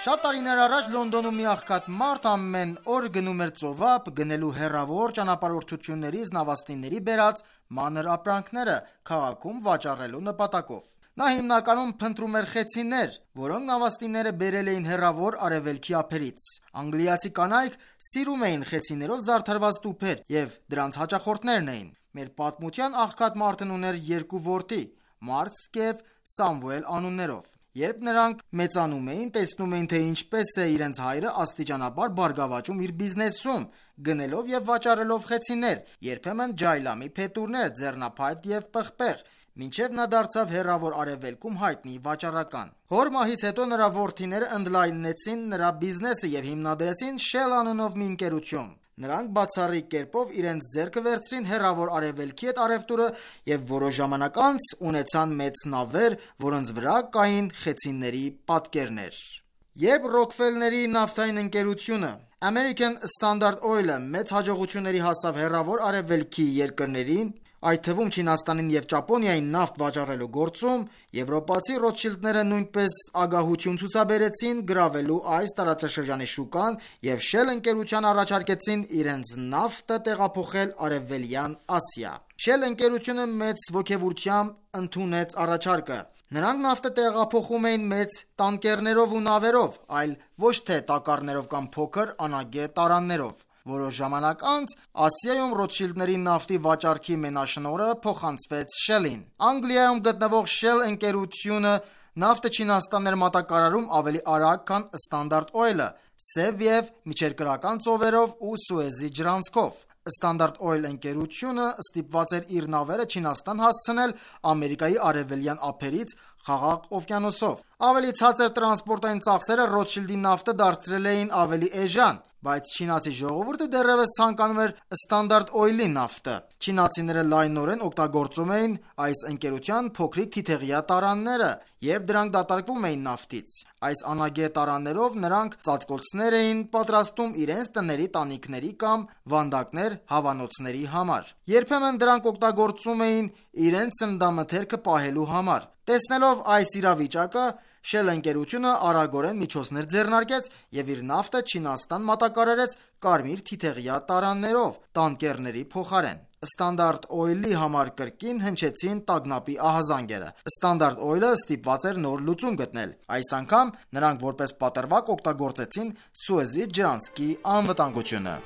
Շատ տարիներ առաջ Լոնդոնում մի աղքատ մարդ ամեն օր գնում էր ծովափ, գնելու հեռավոր ճանապարհորդություններից նավաստիների բերած մանր ապրանքները քաղաքում վաճառելու նպատակով։ Նա հիմնականում փնտրում էր խեցիներ, որոնք նավաստիները բերել էին հեռավոր արևելքի ափերից։ Անգլիացի կանայք սիրում էին խեցիներով զարդարված տուփեր և դրանց հաճախորդներն էին։ Մեր պատմության աղքատ մարդն ուներ երկու որդի՝ Մարթ և Սամուել անուններով։ Երբ նրանք մեծանում էին, տեսնում էին, թե ինչպես է իրենց հայրը աստիճանաբար բարգավաճում իր բիզնեսում, գնելով և վաճառելով խեցիներ, երբեմն ջայլամի փետուրներ, ձեռնափայտ և պղպեղ, մինչև նա դարձավ հեռավոր արևելքում հայտնի վաճառական։ Հոր մահից հետո նրա որդիները ընդլայնեցին նրա բիզնեսը և հիմնադրեցին Shell անունով մի ընկերություն։ Նրանք բացառիկ կերպով իրենց ձեռքը վերցրին հեռավոր արևելքի հետ առևտուրը և որոշ ժամանակ անց ունեցան մեծ նավեր, որոնց վրա կային խեցիների պատկերներ։ Երբ Ռոքֆելլերի նավթային ընկերությունը American Standard Oil-ը մեծ հաջողությունների հասավ հեռավոր արևելքի երկրներին, այդ թվում Չինաստանին և Ճապոնիային նավթ վաճառելու գործում, եվրոպացի Ռոթշիլդները նույնպես ագահություն ցուցաբերեցին գրավելու այս տարածաշրջանի շուկան և Shell ընկերության առաջարկեցին իրենց նավթը տեղափոխել Արևելյան Ասիա։ Shell ընկերությունը մեծ ոգևորությամբ ընդունեց առաջարկը։ Նրանք նավթը տեղափոխում էին մեծ տանկերներով ու նավերով, այլ ոչ թե տակառներով կամ փոքր անագե տարաններով։ Որոշ ժամանակ անց Ասիայում Ռոթշիլդների նավթի վաճառքի մենաշնորհը փոխանցվեց Shell-ին։ Անգլիայում գտնվող Shell ընկերությունը նավթը Չինաստան էր մատակարարում ավելի արագ, քան Standard Oil-ը, Սև և միջերկրական ծովերով ու Սուեզի ջրանցքով։ Standard Oil ընկերությունը ստիպված էր իր նավերը Չինաստան հասցնել Ամերիկայի արևելյան ափերից Խաղաղ օվկիանոսով։ Ավելի ցածր տրանսպորտային ծախսերը Ռոթշիլդի նավթը դարձրել էին ավելի էժան, բայց չինացի ժողովուրդը դեռևս ցանկանում էր Standard Oil-ի նավթը։ Չինացիները լայնորեն օգտագործում էին այս ընկերության փոքրիկ թիթեղյա տարանները, երբ դրանք դատարկվում էին նավթից։ Այս անագե տարաներով նրանք ծածկոցներ էին պատրաստում իրենց տների տանիքների կամ վանդակներ հավանոցների համար։ Երբեմն դրանք օգտագործում էին իրենց սննդամթերքը պահելու համար։ Տեսնելով այս իրավիճակը, Shell ընկերությունը արագորեն միջոցներ ձեռնարկեց և իր նավթը Չինաստան մատակարարեց կարմիր թիթեղյա տարաններով տանկերների փոխարեն։ Standard Oil-ի համար կրկին հնչեցին տագնապի ահազանգերը։ Standard Oil-ը ստիպված էր նոր լուծում գտնել։ Այս անգամ նրանք որպես պատրվակ օգտագործեցին Սուեզի ջրանցքի անվտանգությունը։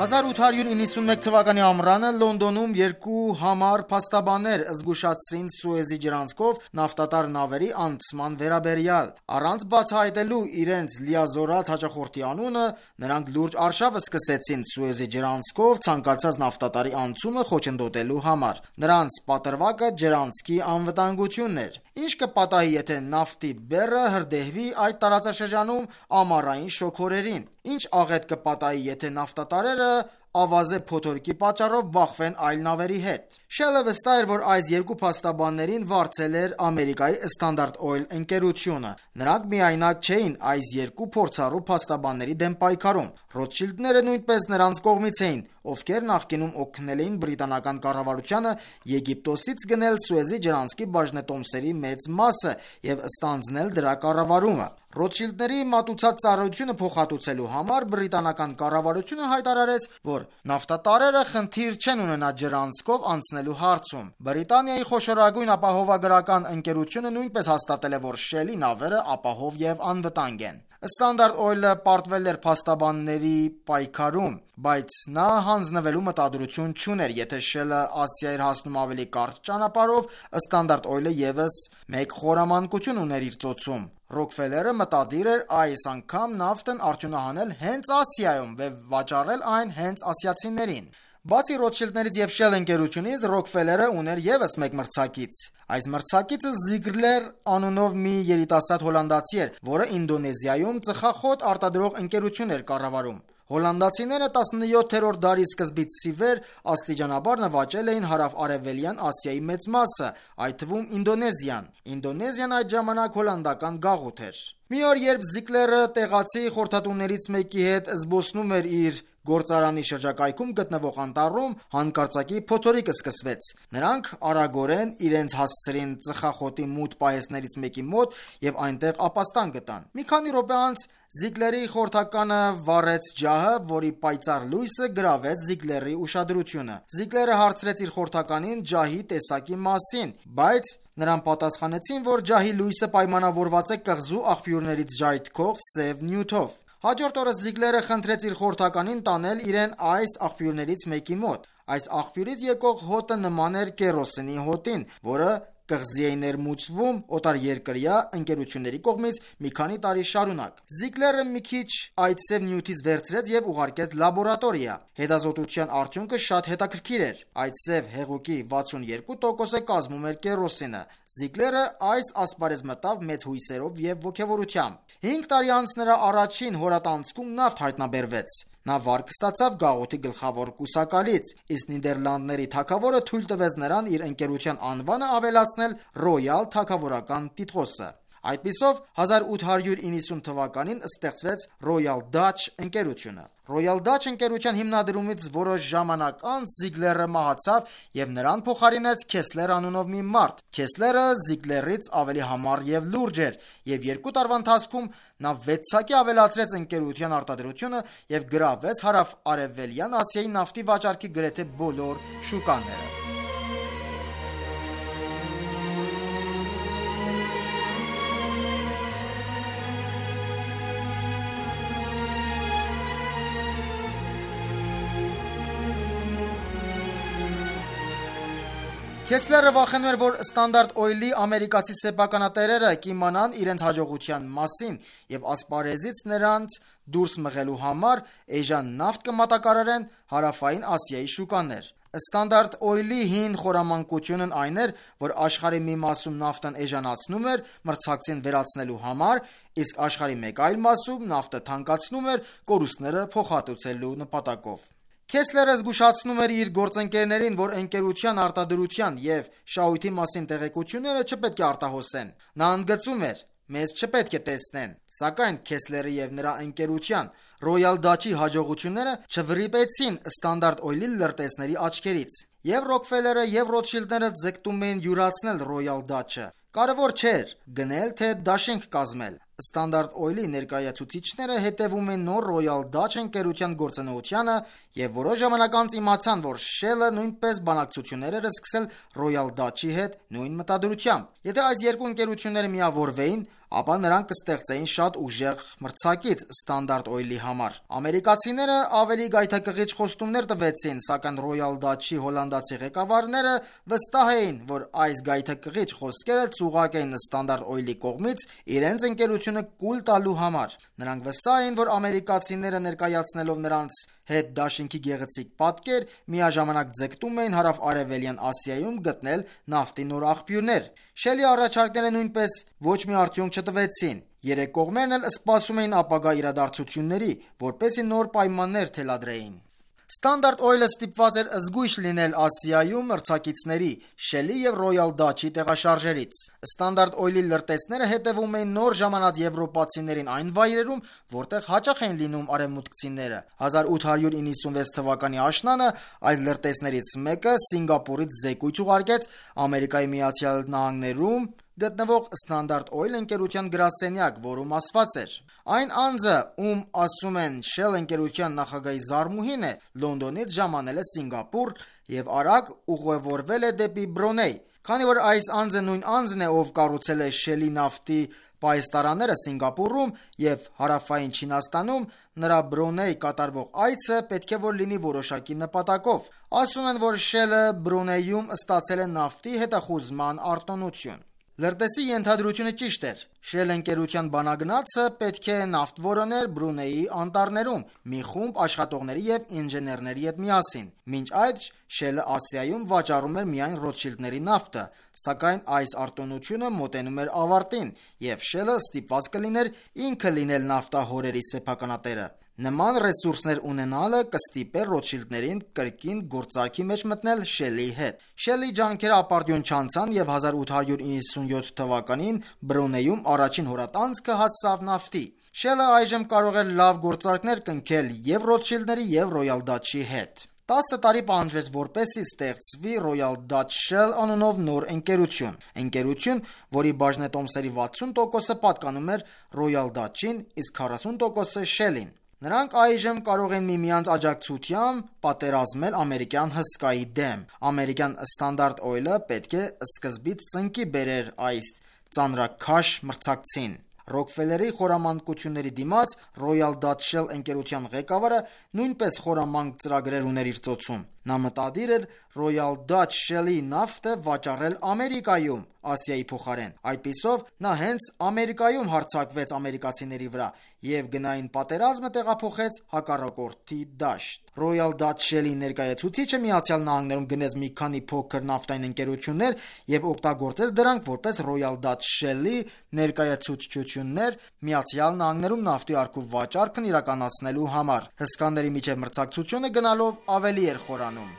1891 թվականի ամռանը Լոնդոնում երկու համառ փաստաբաններ զգուշացրին Սուեզի ջրանցքով նավթատար նավերի անցման վերաբերյալ։ Առանց բացահայտելու իրենց լիազորած հաճախորդի անունը, նրանք լուրջ արշավ սկսեցին Սուեզի ջրանցքով ցանկացած նավթատարի անցումը խոչընդոտելու համար։ Նրանց պատրվակը ջրանցքի անվտանգությունն էր։ Ինչ կպատահի, եթե նավթի բեռը հրդեհվի այդ տարածաշրջանում ամառային շոգորերին։ Ինչ աղետ կպատահի, եթե նավթատարերը ավազե փոթորկի պատճառով բախվեն այլ նավերի հետ։ Shell-ը վստահ էր, որ այս երկու փաստաբաններին վարձել էր Ամերիկայի Standard Oil ընկերությունը։ Նրանք միայնակ չէին այս երկու փորձառու փաստաբանների դեմ պայքարում։ Ռոթշիլդները նույնպես նրանց կողմից էին, ովքեր նախկինում օգնել էին բրիտանական կառավարությանը Եգիպտոսից գնել Սուեզի ջրանցքի բաժնետոմսերի մեծ մասը և ստանձնել դրա կառավարումը։ Ռոթշիլդների մատուցած ծառայությունը փոխհատուցելու համար բրիտանական կառավարությունը հայտարարեց, որ նավթատարերը խնդիր չեն ունենա ջրանցքով անցնել վերացնելու հարցում։ Բրիտանիայի խոշորագույն ապահովագրական ընկերությունը նույնպես հաստատել է, որ Shell-ի նավերը ապահով եւ անվտանգ են։ Standard Oil-ը պարտվել էր փաստաբանների պայքարում, բայց նա հանձնվելու մտադրություն չուներ, եթե Shell-ը Ասիա էր հասնում ավելի կարճ ճանապարհով, Standard Oil-ը եւս մեկ խորամանկություն ուներ իր ծոցում։ Rockefeller-ը մտադիր էր այս անգամ նավթն արդյունահանել հենց Ասիայում եւ վաճառել այն հենց ասիացիներին։ Բացի Rothschild-ներից եւ Shell ընկերությունից, Rockefeller-ը ուներ եւս մեկ մրցակից։ Այս մրցակիցը Ziegler անունով մի երիտասարդ հոլանդացի էր, որը Ինդոնեզիայում ծխախոտ արտադրող ընկերություն էր կառավարում։ Հոլանդացիները 17-րդ դարի սկզբից ի վեր աստիճանաբար նվաճել էին հարավ-արևելյան Ասիայի մեծ մասը, այդ թվում Ինդոնեզիան։ Ինդոնեզիան այդ ժամանակ հոլանդական գաղութ էր։ Մի օր, երբ Ziegler-ը տեղացի խորհրդատուներից մեկի հետ զբոսնում էր իր գործարանի շրջակայքում գտնվող անտառում, հանկարծակի փոթորիկը սկսվեց։ Նրանք արագորեն իրենց հասցրին ծխախոտի մութ պահեսներից մեկի մոտ եւ այնտեղ ապաստան գտան։ Մի քանի րոպե անց Ziegler-ի խորհրդականը վառեց ջահը, որի պայծառ լույսը գրավեց Ziegler-ի ուշադրությունը։ Ziegler-ը հարցրեց իր խորհրդականին ջահի տեսակի մասին, բայց նրան պատասխանեցին, որ ջահի լույսը պայմանավորված է կղզու աղբյուրներից ժայթքող սև նյութով։ Հաջորդ օրը Ziegler-ը խնդրեց իր խորհրդականին տանել իրեն այս աղբյուրներից մեկի մոտ։ Այս աղբյուրից եկող հոտը նման էր կերոսինի հոտին, որը կղզի է ներմուծվում օտարերկրյա ընկերությունների կողմից մի քանի տարի շարունակ։ Ziegler-ը մի քիչ այդ սև նյութից վերցրեց եւ ուղարկեց լաբորատորիա։ Հետազոտության արդյունքը շատ հետաքրքիր էր։ Այդ սև հեղուկի 62%-ը կազմում էր կերոսինը։ Ziegler-ը այս ասպարեզ մտավ մեծ հույսերով եւ ոգևորությամբ։ 5 տարի անց նրա առաջին հորատանցքում նավթ հայտնաբերվեց։ Նա վարկ ստացավ գաղութի գլխավոր կուսակալից, իսկ Նիդերլանդների թագավորը թույլ տվեց նրան իր ընկերության անվանը ավելացնել Royal թագավորական տիտղոսը։ Այդպիսով 1890 թվականին ստեղծվեց Royal Dutch ընկերությունը։ Royal Dutch ընկերության հիմնադրումից որոշ ժամանակ անց Ziegler-ը մահացավ եւ նրան փոխարինեց Kessler անունով մի մարդ։ Kessler-ը Ziegler-ից ավելի համառ եւ լուրջ էր եւ 2 տարվա ընթացքում նա 6-ակի ավելացրեց ընկերության արտադրությունը եւ գրավեց հարավ-արևելյան Ասիայի նավթի վաճառքի գրեթե բոլոր շուկաները։ Kessler-ը վախենում էր, որ Standard Oil-ի ամերիկացի սեփականատերերը կիմանան իրենց հաջողության մասին եւ ասպարեզից նրանց դուրս մղելու համար էժան նավթ կմատակարարեն հարավային Ասիայի շուկաներ։ Standard Oil-ի հին խորամանկությունն այն էր, որ աշխարհի մի մասում նավթն էժանացնում էր մրցակցին վերացնելու համար, իսկ աշխարհի մեկ այլ մասում նավթը թանկացնում էր կորուստները փոխհատուցելու նպատակով։ Kessler-ը զգուշացնում էր իր գործընկերներին, որ ընկերության արտադրության եւ շահույթի մասին տեղեկությունները չպետք է արտահոսեն։ Նա ընդգծում էր. «Մեզ չպետք է տեսնեն», սակայն Kessler-ի եւ նրա ընկերության Royal Dutch-ի հաջողությունները չվրիպեցին Standard Oil-ի լրտեսների աչքերից։ Եվ Rockefeller-ը եւ Rothschild-ները ձգտում էին յուրացնել Royal Dutch-ը։ Կարևոր չէր գնել թե դաշինք կազմել։ Standard Oil-ի ներկայացուցիչները հետևում են նոր Royal Dutch ընկերության գործունեությանը եւ որոշ ժամանակ անց իմացան, որ Shell-ը նույնպես բանակցություններ էր սկսել Royal Dutch-ի հետ նույն մտադրությամբ։ Եթե այս երկու ընկերությունները միավորվեին, ապա նրանք կստեղծեին շատ ուժեղ մրցակից Standard Oil-ի համար։ Ամերիկացիները ավելի գայթակղիչ խոստումներ տվեցին, սակայն Royal Dutch-ի հոլանդացի ղեկավարները վստահ էին, որ այս գայթակղիչ խոսքերը ծուղակ էին Standard Oil-ի կողմից իրենց ընկերությունը կուլ տալու համար։ Նրանք վստահ էին, որ ամերիկացիները ներկայացնելով նրանց հետ դաշինքի գեղեցիկ պատկեր, միաժամանակ ձգտում էին հարավ-արևելյան Ասիայում գտնել նավթի նոր աղբյուրներ։ Shell-ի առաջարկները նույնպես ոչ մի արդյունք չտվեցին։ Երեք կողմերն էլ սպասում էին ապագա իրադարձությունների, որպեսզի նոր պայմաններ թելադրեին։ Standard Oil-ը ստիպված էր զգույշ լինել Ասիայում մրցակիցների Shell-ի եւ Royal Dutch-ի տեղաշարժերից։ Standard Oil-ի լրտեսները հետևում էին նոր ժամանած եվրոպացիներին այն վայրերում, որտեղ հաճախ էին լինում արևմուտքցիները։ 1896 թվականի աշնանը այս լրտեսներից մեկը Սինգապուրից զեկույց ուղարկեց Ամերիկայի Միացյալ Նահանգներում գտնվող Standard Oil ընկերության գրասենյակ, որում ասված էր. «Այն անձը, ում ասում են Shell ընկերության նախագահի զարմուհին է, Լոնդոնից ժամանել է Սինգապուր եւ արագ ուղևորվել է դեպի Բրունեյ։ Քանի որ այս անձը նույն անձն է, ով կառուցել է Shell-ի նավթի պահեստարանները Սինգապուրում եւ Հարավային Չինաստանում, նրա Բրունեյ կատարվող այցը պետք է որ լինի որոշակի նպատակով։ Ասում են, որ Shell-ը Բրունեյում ստացել է նավթի հետախուզման արտոնություն։ Լրտեսի ենթադրությունը ճիշտ էր։ Shell ընկերության բանագնացը պետք է նավթ որոներ Բրունեյի անտառներում մի խումբ աշխատողների եւ ինժեներների հետ միասին։ Մինչ այդ Shell-ը Ասիայում վաճառում էր միայն Ռոթշիլդների նավթը, սակայն այս արտոնությունը մոտենում էր ավարտին, եւ Shell-ը ստիպված կլիներ ինքը լինել նավթահորերի սեփականատերը։ Նման ռեսուրսներ ունենալը կստիպեր Ռոթշիլդներին կրկին գործարքի մեջ մտնել Shell-ի հետ։ Shell-ի ջանքերը ապարդյուն չանցան եւ 1897 թվականին Բրունեյում առաջին հորատանցքը հասավ նավթի։ Shell-ը այժմ կարող էր լավ գործարքներ կնքել եւ Ռոթշիլդների եւ Royal Dutch-ի հետ։ 10 տարի պահանջվեց, որպեսզի ստեղծվի Royal Dutch Shell անունով նոր ընկերություն, որի բաժնետոմսերի 60%-ը պատկանում էր Royal Dutch-ին, իսկ 40%-ը Shell-ին։ Նրանք այժմ կարող են միմյանց աջակցությամբ պատերազմել ամերիկյան հսկայի դեմ։ Ամերիկյան Standard Oil-ը պետք է սկզբից ծնկի բերեր այս ծանրաքաշ մրցակցին։ Ռոքֆելերի խորամանկությունների դիմաց Royal Dutch Shell ընկերության ղեկավարը նույնպես խորամանկ ծրագրեր ուներ իր ծոցում։ Նա մտադիր էր Royal Dutch Shell-ի նավթը վաճառել Ամերիկայում Ասիայի փոխարեն։ Այդպիսով նա հենց Ամերիկայում հարձակվեց ամերիկացիների վրա եւ գնային պատերազմը տեղափոխեց հակառակորդի դաշտ։ Royal Dutch Shell-ի ներկայացուցիչը Միացյալ Նահանգներում գնեց մի քանի փոքր նավթային ընկերություններ եւ օգտագործեց դրանք որպես Royal Dutch Shell-ի ներկայացուցչություններ Միացյալ Նահանգներում նավթի առքու վաճառքն իրականացնելու համար։ Հսկաների միջև մրցակցությունը գնալով ավելի էր խորանում։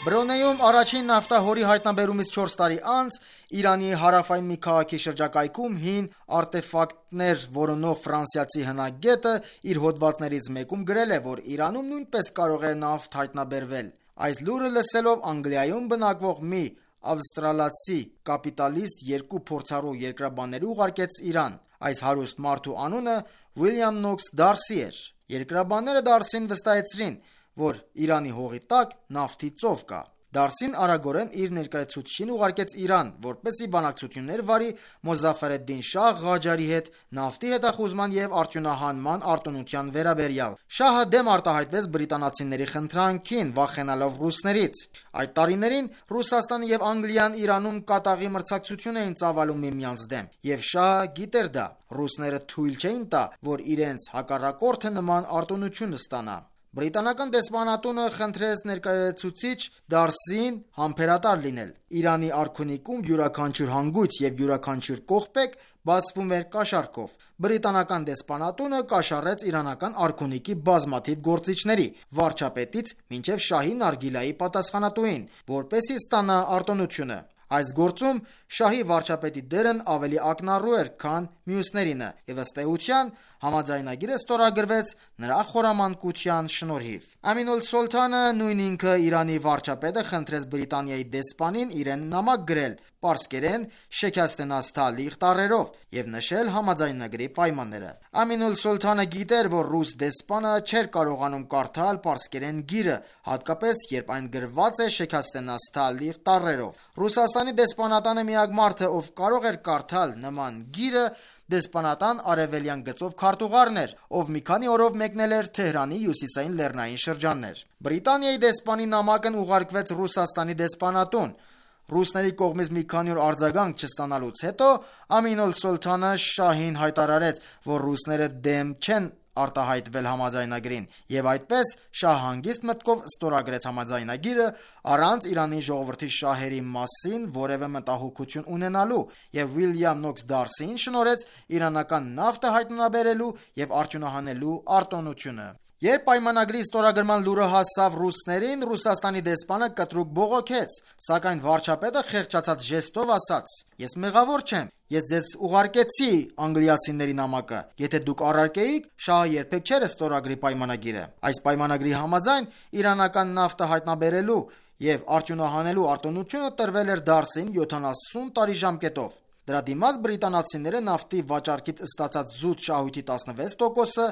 Բրունեյում առաջին նավթահորի հայտնաբերումից 4 տարի անց Իրանի հարավային մի քաղաքի շրջակայքում հին արտեֆակտներ որոնող ֆրանսիացի հնագետը իր հոդվածներից մեկում գրել է, որ Իրանում նույնպես կարող է նավթ հայտնաբերվել։ Այս լուրը լսելով Անգլիայում բնակվող մի ավստրալացի կապիտալիստ երկու փորձառու երկրաբանների ուղարկեց Իրան։ Այս հարուստ մարդու անունը Ուիլյամ Նոքս Դարսի էր։ Երկրաբանները Դարսին վստահեցրին, որ Իրանի հողի տակ նավթի ծով կա։ Դարսին արագորեն իր ներկայացուցչին ուղարկեց Իրան, որպեսզի բանակցություններ վարի Մոզաֆեր ed-Դին Շահ Ղաջարի հետ նավթի հետախուզման եւ արդյունահանման արտոնության վերաբերյալ։ Շահը դեմ արտահայտվեց բրիտանացիների խնդրանքին, վախենալով ռուսներից։ Այդ տարիներին Ռուսաստանը եւ Անգլիան Իրանում կատաղի մրցակցություն էին ծավալում միմյանց դեմ, եւ Շահը գիտեր դա։ Ռուսները թույլ չէին տա, որ իրենց հակառակորդը նման արտոնություն ստանա։ Բրիտանական դեսպանատունը խնդրեց ներկայացուցիչ Դարսին համբերատար լինել։ Իրանի արքունիքում յուրաքանչյուր հանգույց եւ յուրաքանչյուր կողպեկ բացվում էր կաշառքով։ Բրիտանական դեսպանատունը կաշառեց իրանական արքունիքի բազմաթիվ գործիչների, վարչապետից մինչև շահի նարգիլայի պատասխանատուին, որպեսզի ստանա արտոնությունը։ Այս գործում շահի վարչապետի դերն ավելի ակնառու էր, քան մյուսներինը, եւ ըստ էության համաձայնագիրը ստորագրվեց նրա խորամանկության շնորհիվ։ Ամին ալ-Սոլթանը նույն ինքը Իրանի վարչապետը խնդրեց Բրիտանիայի դեսպանին իրեն նամակ գրել պարսկերեն շեքաստենած թալիղ տառերով եւ նշել համաձայնագրի պայմանները։ Ամին ալ-Սոլթանը գիտեր, որ ռուս դեսպանը չէր կարողանում կարդալ պարսկերեն գիրը, հատկապես երբ այն գրված է շեքաստենած թալիղ տառերով։ Ռուսաստանի դեսպանատանը միակ մարդը, ով կարող էր կարդալ նման գիրը, դեսպանատան արևելյան գծով քարտուղարն էր, ով մի քանի օրով մեկնել էր Թեհրանի հյուսիսային լեռնային շրջաններ։ Բրիտանիայի դեսպանի նամակն ուղարկվեց Ռուսաստանի դեսպանատուն։ Ռուսների կողմից մի քանի օր արձագանք չստանալուց հետո Ամին ալ-Սոլթանը շահին հայտարարեց, որ ռուսները դեմ չեն արտահայտվել համաձայնագրին, եւ այդպես շահ հանգիստ մտքով ստորագրեց համաձայնագիրը առանց Իրանի ժողովրդի շահերի մասին որևէ մտահոգություն ունենալու, եւ Ուիլյամ Նոքս Դարսին շնորհեց իրանական նավթը հայտնաբերելու եւ արդյունահանելու արտոնությունը։ Երբ պայմանագրի ստորագրման լուրը հասավ ռուսներին, Ռուսաստանի դեսպանը կտրուկ բողոքեց, սակայն վարչապետը խեղճացած ժեստով ասաց. «Ես մեղավոր չեմ, ես ձեզ ուղարկեցի անգլիացիների նամակը, եթե դուք առարկեիք, շահը երբեք չէր ստորագրի պայմանագիրը»։ Այս պայմանագրի համաձայն իրանական նավթը հայտնաբերելու և արդյունահանելու արտոնությունը տրվել էր դարսին 70 տարի ժամկետով։ Դրա դիմաց բրիտանացիները նավթի վաճառքից ստացած զուտ շահույթի 16%-ը,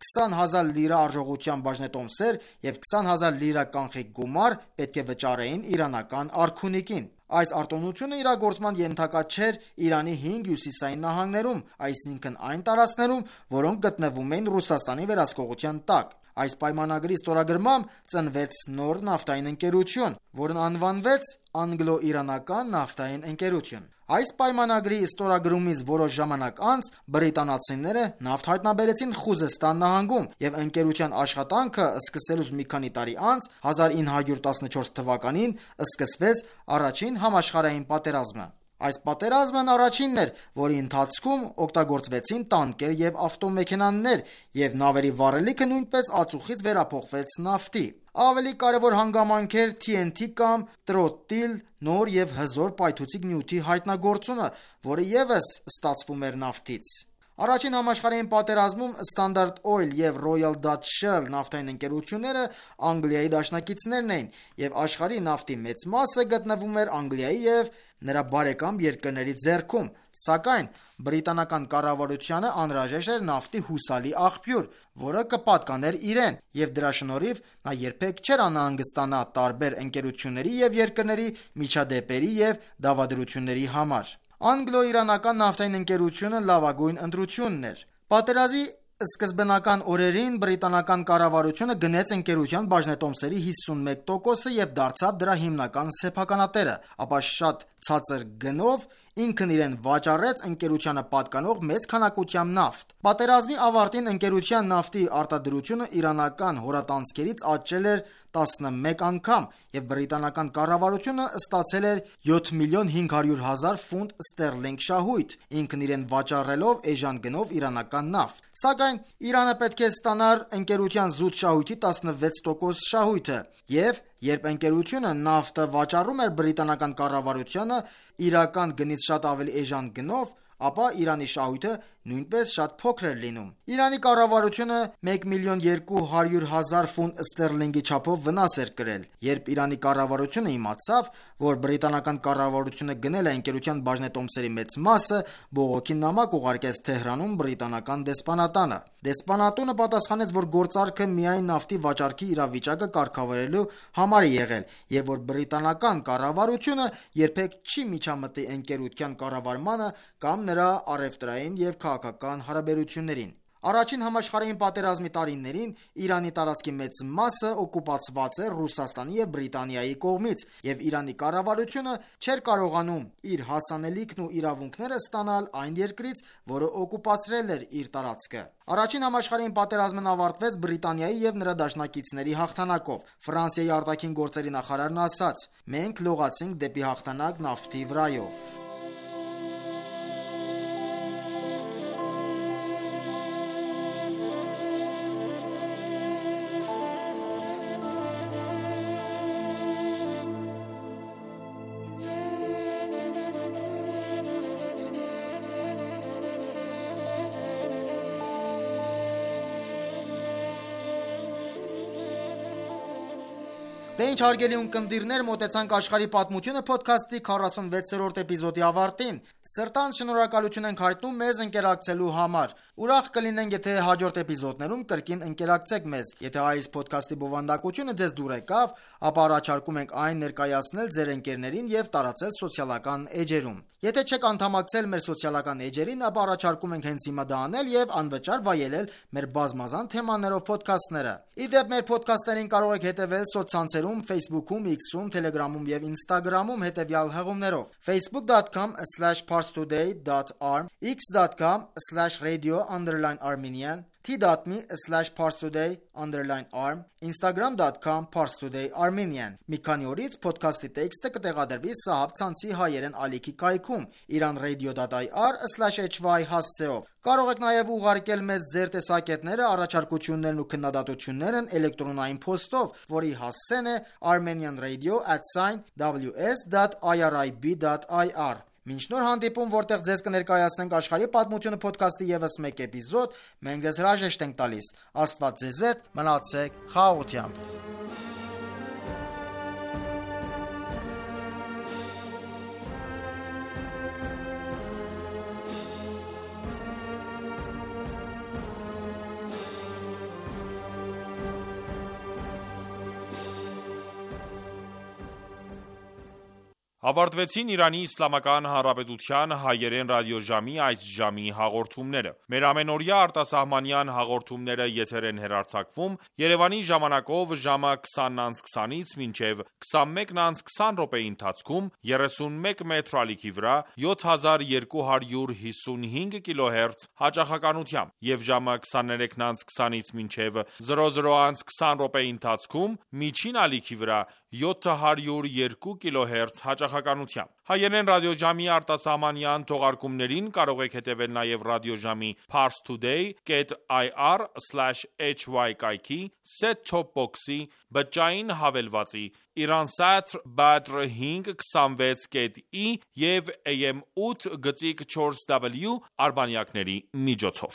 20,000 լիրա արժողությամբ բաժնետոմսեր և 20,000 լիրա կանխիկ գումար պետք է վճարեին իրանական արքունիքին։ Այս արտոնությունը իրագործման ենթակա չէր Իրանի 5 հյուսիսային նահանգներում, այսինքն այն տարածքներում, որոնք գտնվում էին Ռուսաստանի վերահսկողության տակ։ Այս պայմանագրի ստորագրմամբ ծնվեց նոր նավթային ընկերություն, որն անվանվեց Անգլո-իրանական նավթային ընկերություն։ Այս պայմանագրի ստորագրումից որոշ ժամանակ անց բրիտանացիները նավթ հայտնաբերեցին Խուզեստան նահանգում, և ընկերության աշխատանքը սկսելուց մի քանի տարի անց 1914 թվականին սկսվեց առաջին համաշխարհային պատերազմը։ Այս պատերազմն առաջինն էր, որի ընթացքում օգտագործվեցին տանկեր և ավտոմեքենաներ, և նավերի վառելիքը նույնպես ածուխից վերափոխվեց նավթի։ Ավելի կարևոր հանգամանք էր TNT կամ տրոտիլ նոր և հզոր պայթուցիկ նյութի հայտնագործումը, որը ևս ստացվում էր նավթից։ Առաջին համաշխարհային պատերազմում Standard Oil և Royal Dutch Shell նավթային ընկերությունները Անգլիայի դաշնակիցներն էին, և աշխարհի նավթի մեծ մասը գտնվում էր Անգլիայի և նրա բարեկամ երկրների ձեռքում, սակայն բրիտանական կառավարությանը անհրաժեշտ էր նավթի հուսալի աղբյուր, որը կպատկաներ իրեն, և դրա շնորհիվ նա երբեք չէր անհանգստանա տարբեր ընկերությունների և երկրների միջադեպերի և դավադրությունների համար։ Անգլո-իրանական նավթային ընկերությունը լավագույն ընտրությունն էր։ Պատերազմի սկզբնական օրերին բրիտանական կառավարությունը գնեց ընկերության բաժնետոմսերի 51%-ը և դարձավ դրա հիմնական սեփականատերը, ապա շատ ցածր գնով ինքն իրեն վաճառեց ընկերությանը պատկանող մեծ քանակությամբ նավթ։ Պատերազմի ավարտին ընկերության նավթի արտադրությունը իրանական հորատանցքերից աճել էր 11 անգամ, և բրիտանական կառավարությունը ստացել էր 7,500,000 ֆունտ ստերլինգ շահույթ, ինքն իրեն վաճառելով էժան գնով իրանական նավթ։ Սակայն Իրանը պետք է ստանար ընկերության զուտ շահույթի 16% շահույթը, և երբ ընկերությունը նավթը վաճառում էր բրիտանական կառավարությանը իրական գնից շատ ավելի էժան գնով, ապա Իրանի շահույթը նույնպես շատ փոքր էր լինում։ Իրանի կառավարությունը 1,2 միլիոն ֆունտ ստերլինգի չափով վնաս էր կրել։ Երբ Իրանի կառավարությունը իմացավ, որ բրիտանական կառավարությունը գնել է ընկերության բաժնետոմսերի մեծ մասը, բողոքի նամակ ուղարկեց Թեհրանում բրիտանական դեսպանատանը։ Դեսպանատունը պատասխանեց, որ գործարքը միայն նավթի վաճառքի իրավիճակը կարգավորելու համար է եղել, և որ բրիտանական կառավարությունը երբեք չի միջամտի ընկերության կառավարմանը կամ նրա առևտրային և քաղաքական հարաբերություններին։ Առաջին համաշխարհային պատերազմի տարիներին Իրանի տարածքի մեծ մասը օկուպացված էր Ռուսաստանի և Բրիտանիայի կողմից, և Իրանի կառավարությունը չէր կարողանում իր հասանելիքն ու իրավունքները ստանալ այն երկրից, որը օկուպացրել էր իր տարածքը։ Առաջին համաշխարհային պատերազմն ավարտվեց Բրիտանիայի և նրա դաշնակիցների հաղթանակով։ Ֆրանսիայի արտաքին գործերի նախարարն ասաց. «Մենք լողացինք դեպի հաղթանակ նավթի վրայով»։ Դե ինչ հարգելի ունկնդիրներ, մոտեցանք աշխարհի պատմությունը փոդքասթի 46-րդ էպիզոդի ավարտին։ Սրտանց շնորհակալություն ենք հայտնում մեզ ընկերակցելու համար։ Ուրախ կլինենք, եթե հաջորդ էպիզոդներում կրկին ընկերակցեք մեզ։ Եթե այս փոդքասթի բովանդակությունը ձեզ դուր եկավ, ապա առաջարկում ենք այն ներկայացնել ձեր ընկերներին և տարածել սոցիալական էջերում։ Եթե չեք անդամակցել մեր սոցիալական էջերին, ապա առաջարկում ենք հենց հիմա դա անել և անվճար վայելել մեր բազմազան թեմաներով փոդքասթները։ Ի դեպ, մեր փոդքասթերին կարող եք հետևել սոցցանցերում Facebook-ում, X-ում, Telegram-ում և Instagram-ում հետևյալ հղումներով. facebook.com/parstoday.arm, x.com/radio_armenian, t.me/parstoday_arm, instagram.com/parstoday_armenian։ Մի քանի օրից ոդքասթի տեքստը կտեղադրվի Սահաբ ցանցի հայերեն ալիքի կայքում iranradio.ir/hy հասցեով։ Կարող եք նաև ուղարկել մեզ ձեր տեսակետները, առաջարկություններն ու քննադատություններն էլեկտրոնային փոստով, որի հասցեն է armenianradio@ws.irib.ir։ Մինչ նոր հանդիպում, որտեղ ձեզ կներկայացնենք աշխարհի պատմությունը ոդքասթի ևս մեկ էպիզոդ, մենք ձեզ հրաժեշտ ենք տալիս։ Աստված ձեզ հետ, մնացեք խաղաղությամբ։ Ավարտվեցին Իրանի Իսլամական Հանրապետության հայերեն ռադիոժամի այս ժամի հաղորդումները։ Մեր ամենօրյա արտասահմանյան հաղորդումները եթեր են հեռարձակվում Երևանի ժամանակով ժամը 20:20-ից մինչև 21:20 րոպեի ընթացքում 31 մետրի ալիքի վրա 7255 կիլոհերց հաճախականությամբ եւ ժամը 23:20-ից մինչև 00:20 րոպեի ընթացքում միջին ալիքի վրա 702 կիլոհերց հաճախականությամբ։ Հայերեն ռադիոժամի արտասահմանյան թողարկումներին կարող եք հետևել նաև ռադիոժամի parstoday.ir/hy կայքի, set-top box-ի, բջջային հավելվածի, Iransat Badr 526.i եւ AM 8.4W արբանյակների միջոցով։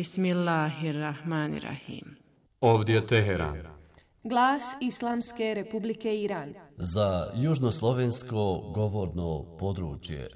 Bismillahirrahmanirrahim. Ovdje Teheran. Glas Islamske Republike Iran. Za južnoslovensko govorno područje.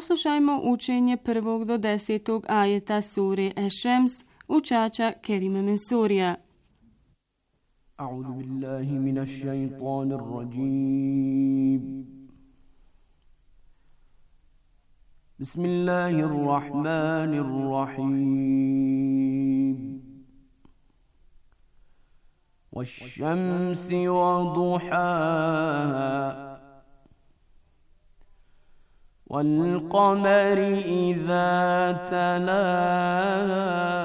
Poslušajmo učenje prvog do 10. ajeta sure Eš-Šems, učača Kerima Mensurija. أعوذ بالله من الشيطان الرجيم بسم الله الرحمن الرحيم والشمس وضحاها والقمر إذا تلاها